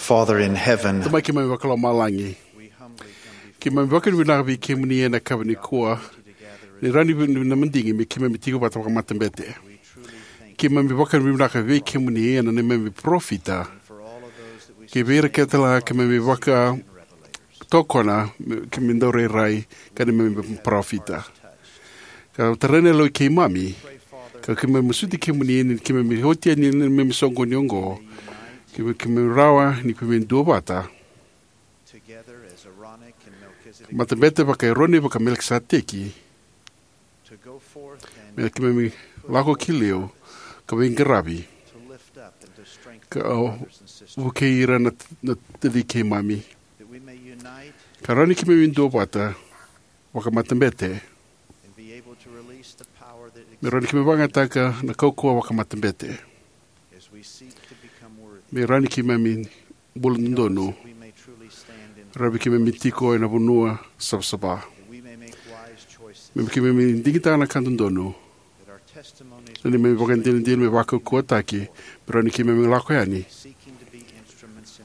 Father in heaven, Tamai keimami vakalomalagi, keimami vakavinavinaka vei kemuni ena yakavi nikua ni rawa ni vei na madigi me keimami tiko vata vakamatabete. Keimami vakavinavinaka vei kemuni ena neimami parofita, kei vei ira kece la keimami vakatokona me keimami dau rairai ka neimami parofita. Ka tarai na yaloi keimami, ka keimami masuti kemuni ni keimami oti yani na neimami soqoni oqo, keimami, keimami rawa ni keimami duavata, matabete vaka-Eroni vaka-Melikiseteki, me keimami lako ki liu ka veiqaravi, ka vukei ira na, na taci keimami, ka rawa ni keimami duavata vakamatabete, me rawa ni keimami vakayagataka na kaukauwa vakamatabete, me rawa ni keimami bula dodonu, rawa ni keimami tiko ena vanua savasava, me keimami digitaka na ka dodonu, na neimami ivakadinadina me vakaukauwataki, me rawa ni keimami lako yani,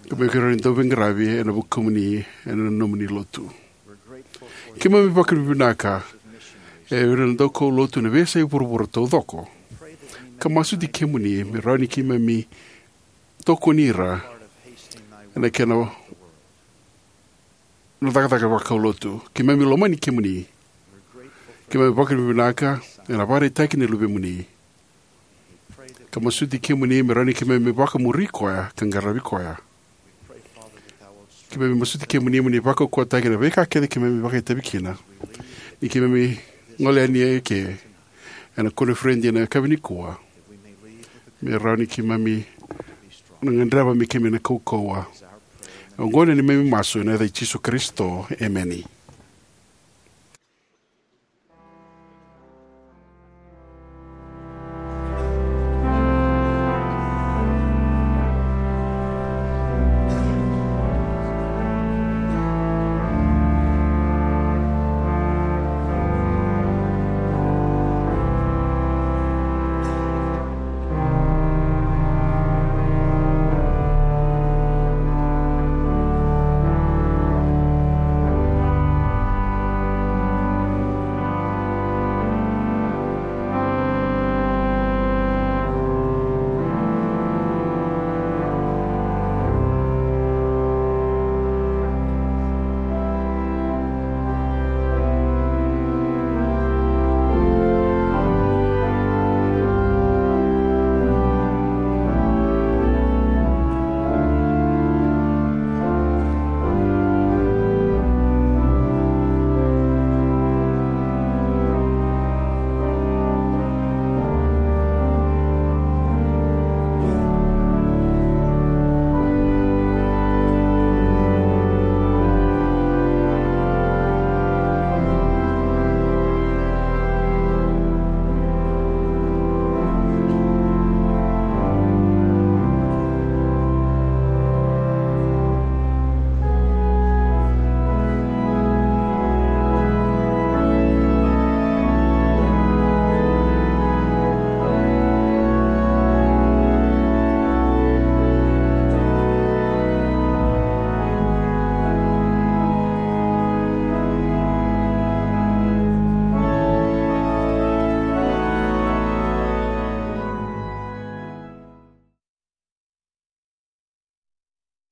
ka me keimami rawa ni dau veiqaravi ena vukumuni ena nomuni lotu. Keimami vakavinavinaka e ira na daukaulotu ena veiyasai vuravura taucoko, ka masuti kemuni me rawa ni keimami tokoni ira ena kena na cakacaka vakaulotu. Keimami lomani kemuni. Keimami vakavinavinaka ena vakaraitaki ni Luvemuni, ka masuti kemuni me rawa ni keimami vakamuri koya ka qaravi koya. Keimami masuti kemuni mo ni vakaukauwataki na veika kece keimami vakaitavi kina ni keimami gole yani eke ena koniferedi ena yakavi nikua, me rawa ni keimami na gadreva me keimami na kaukauwa. Oqo na neimami masu ena yaca i Jisu Karisito, emeni.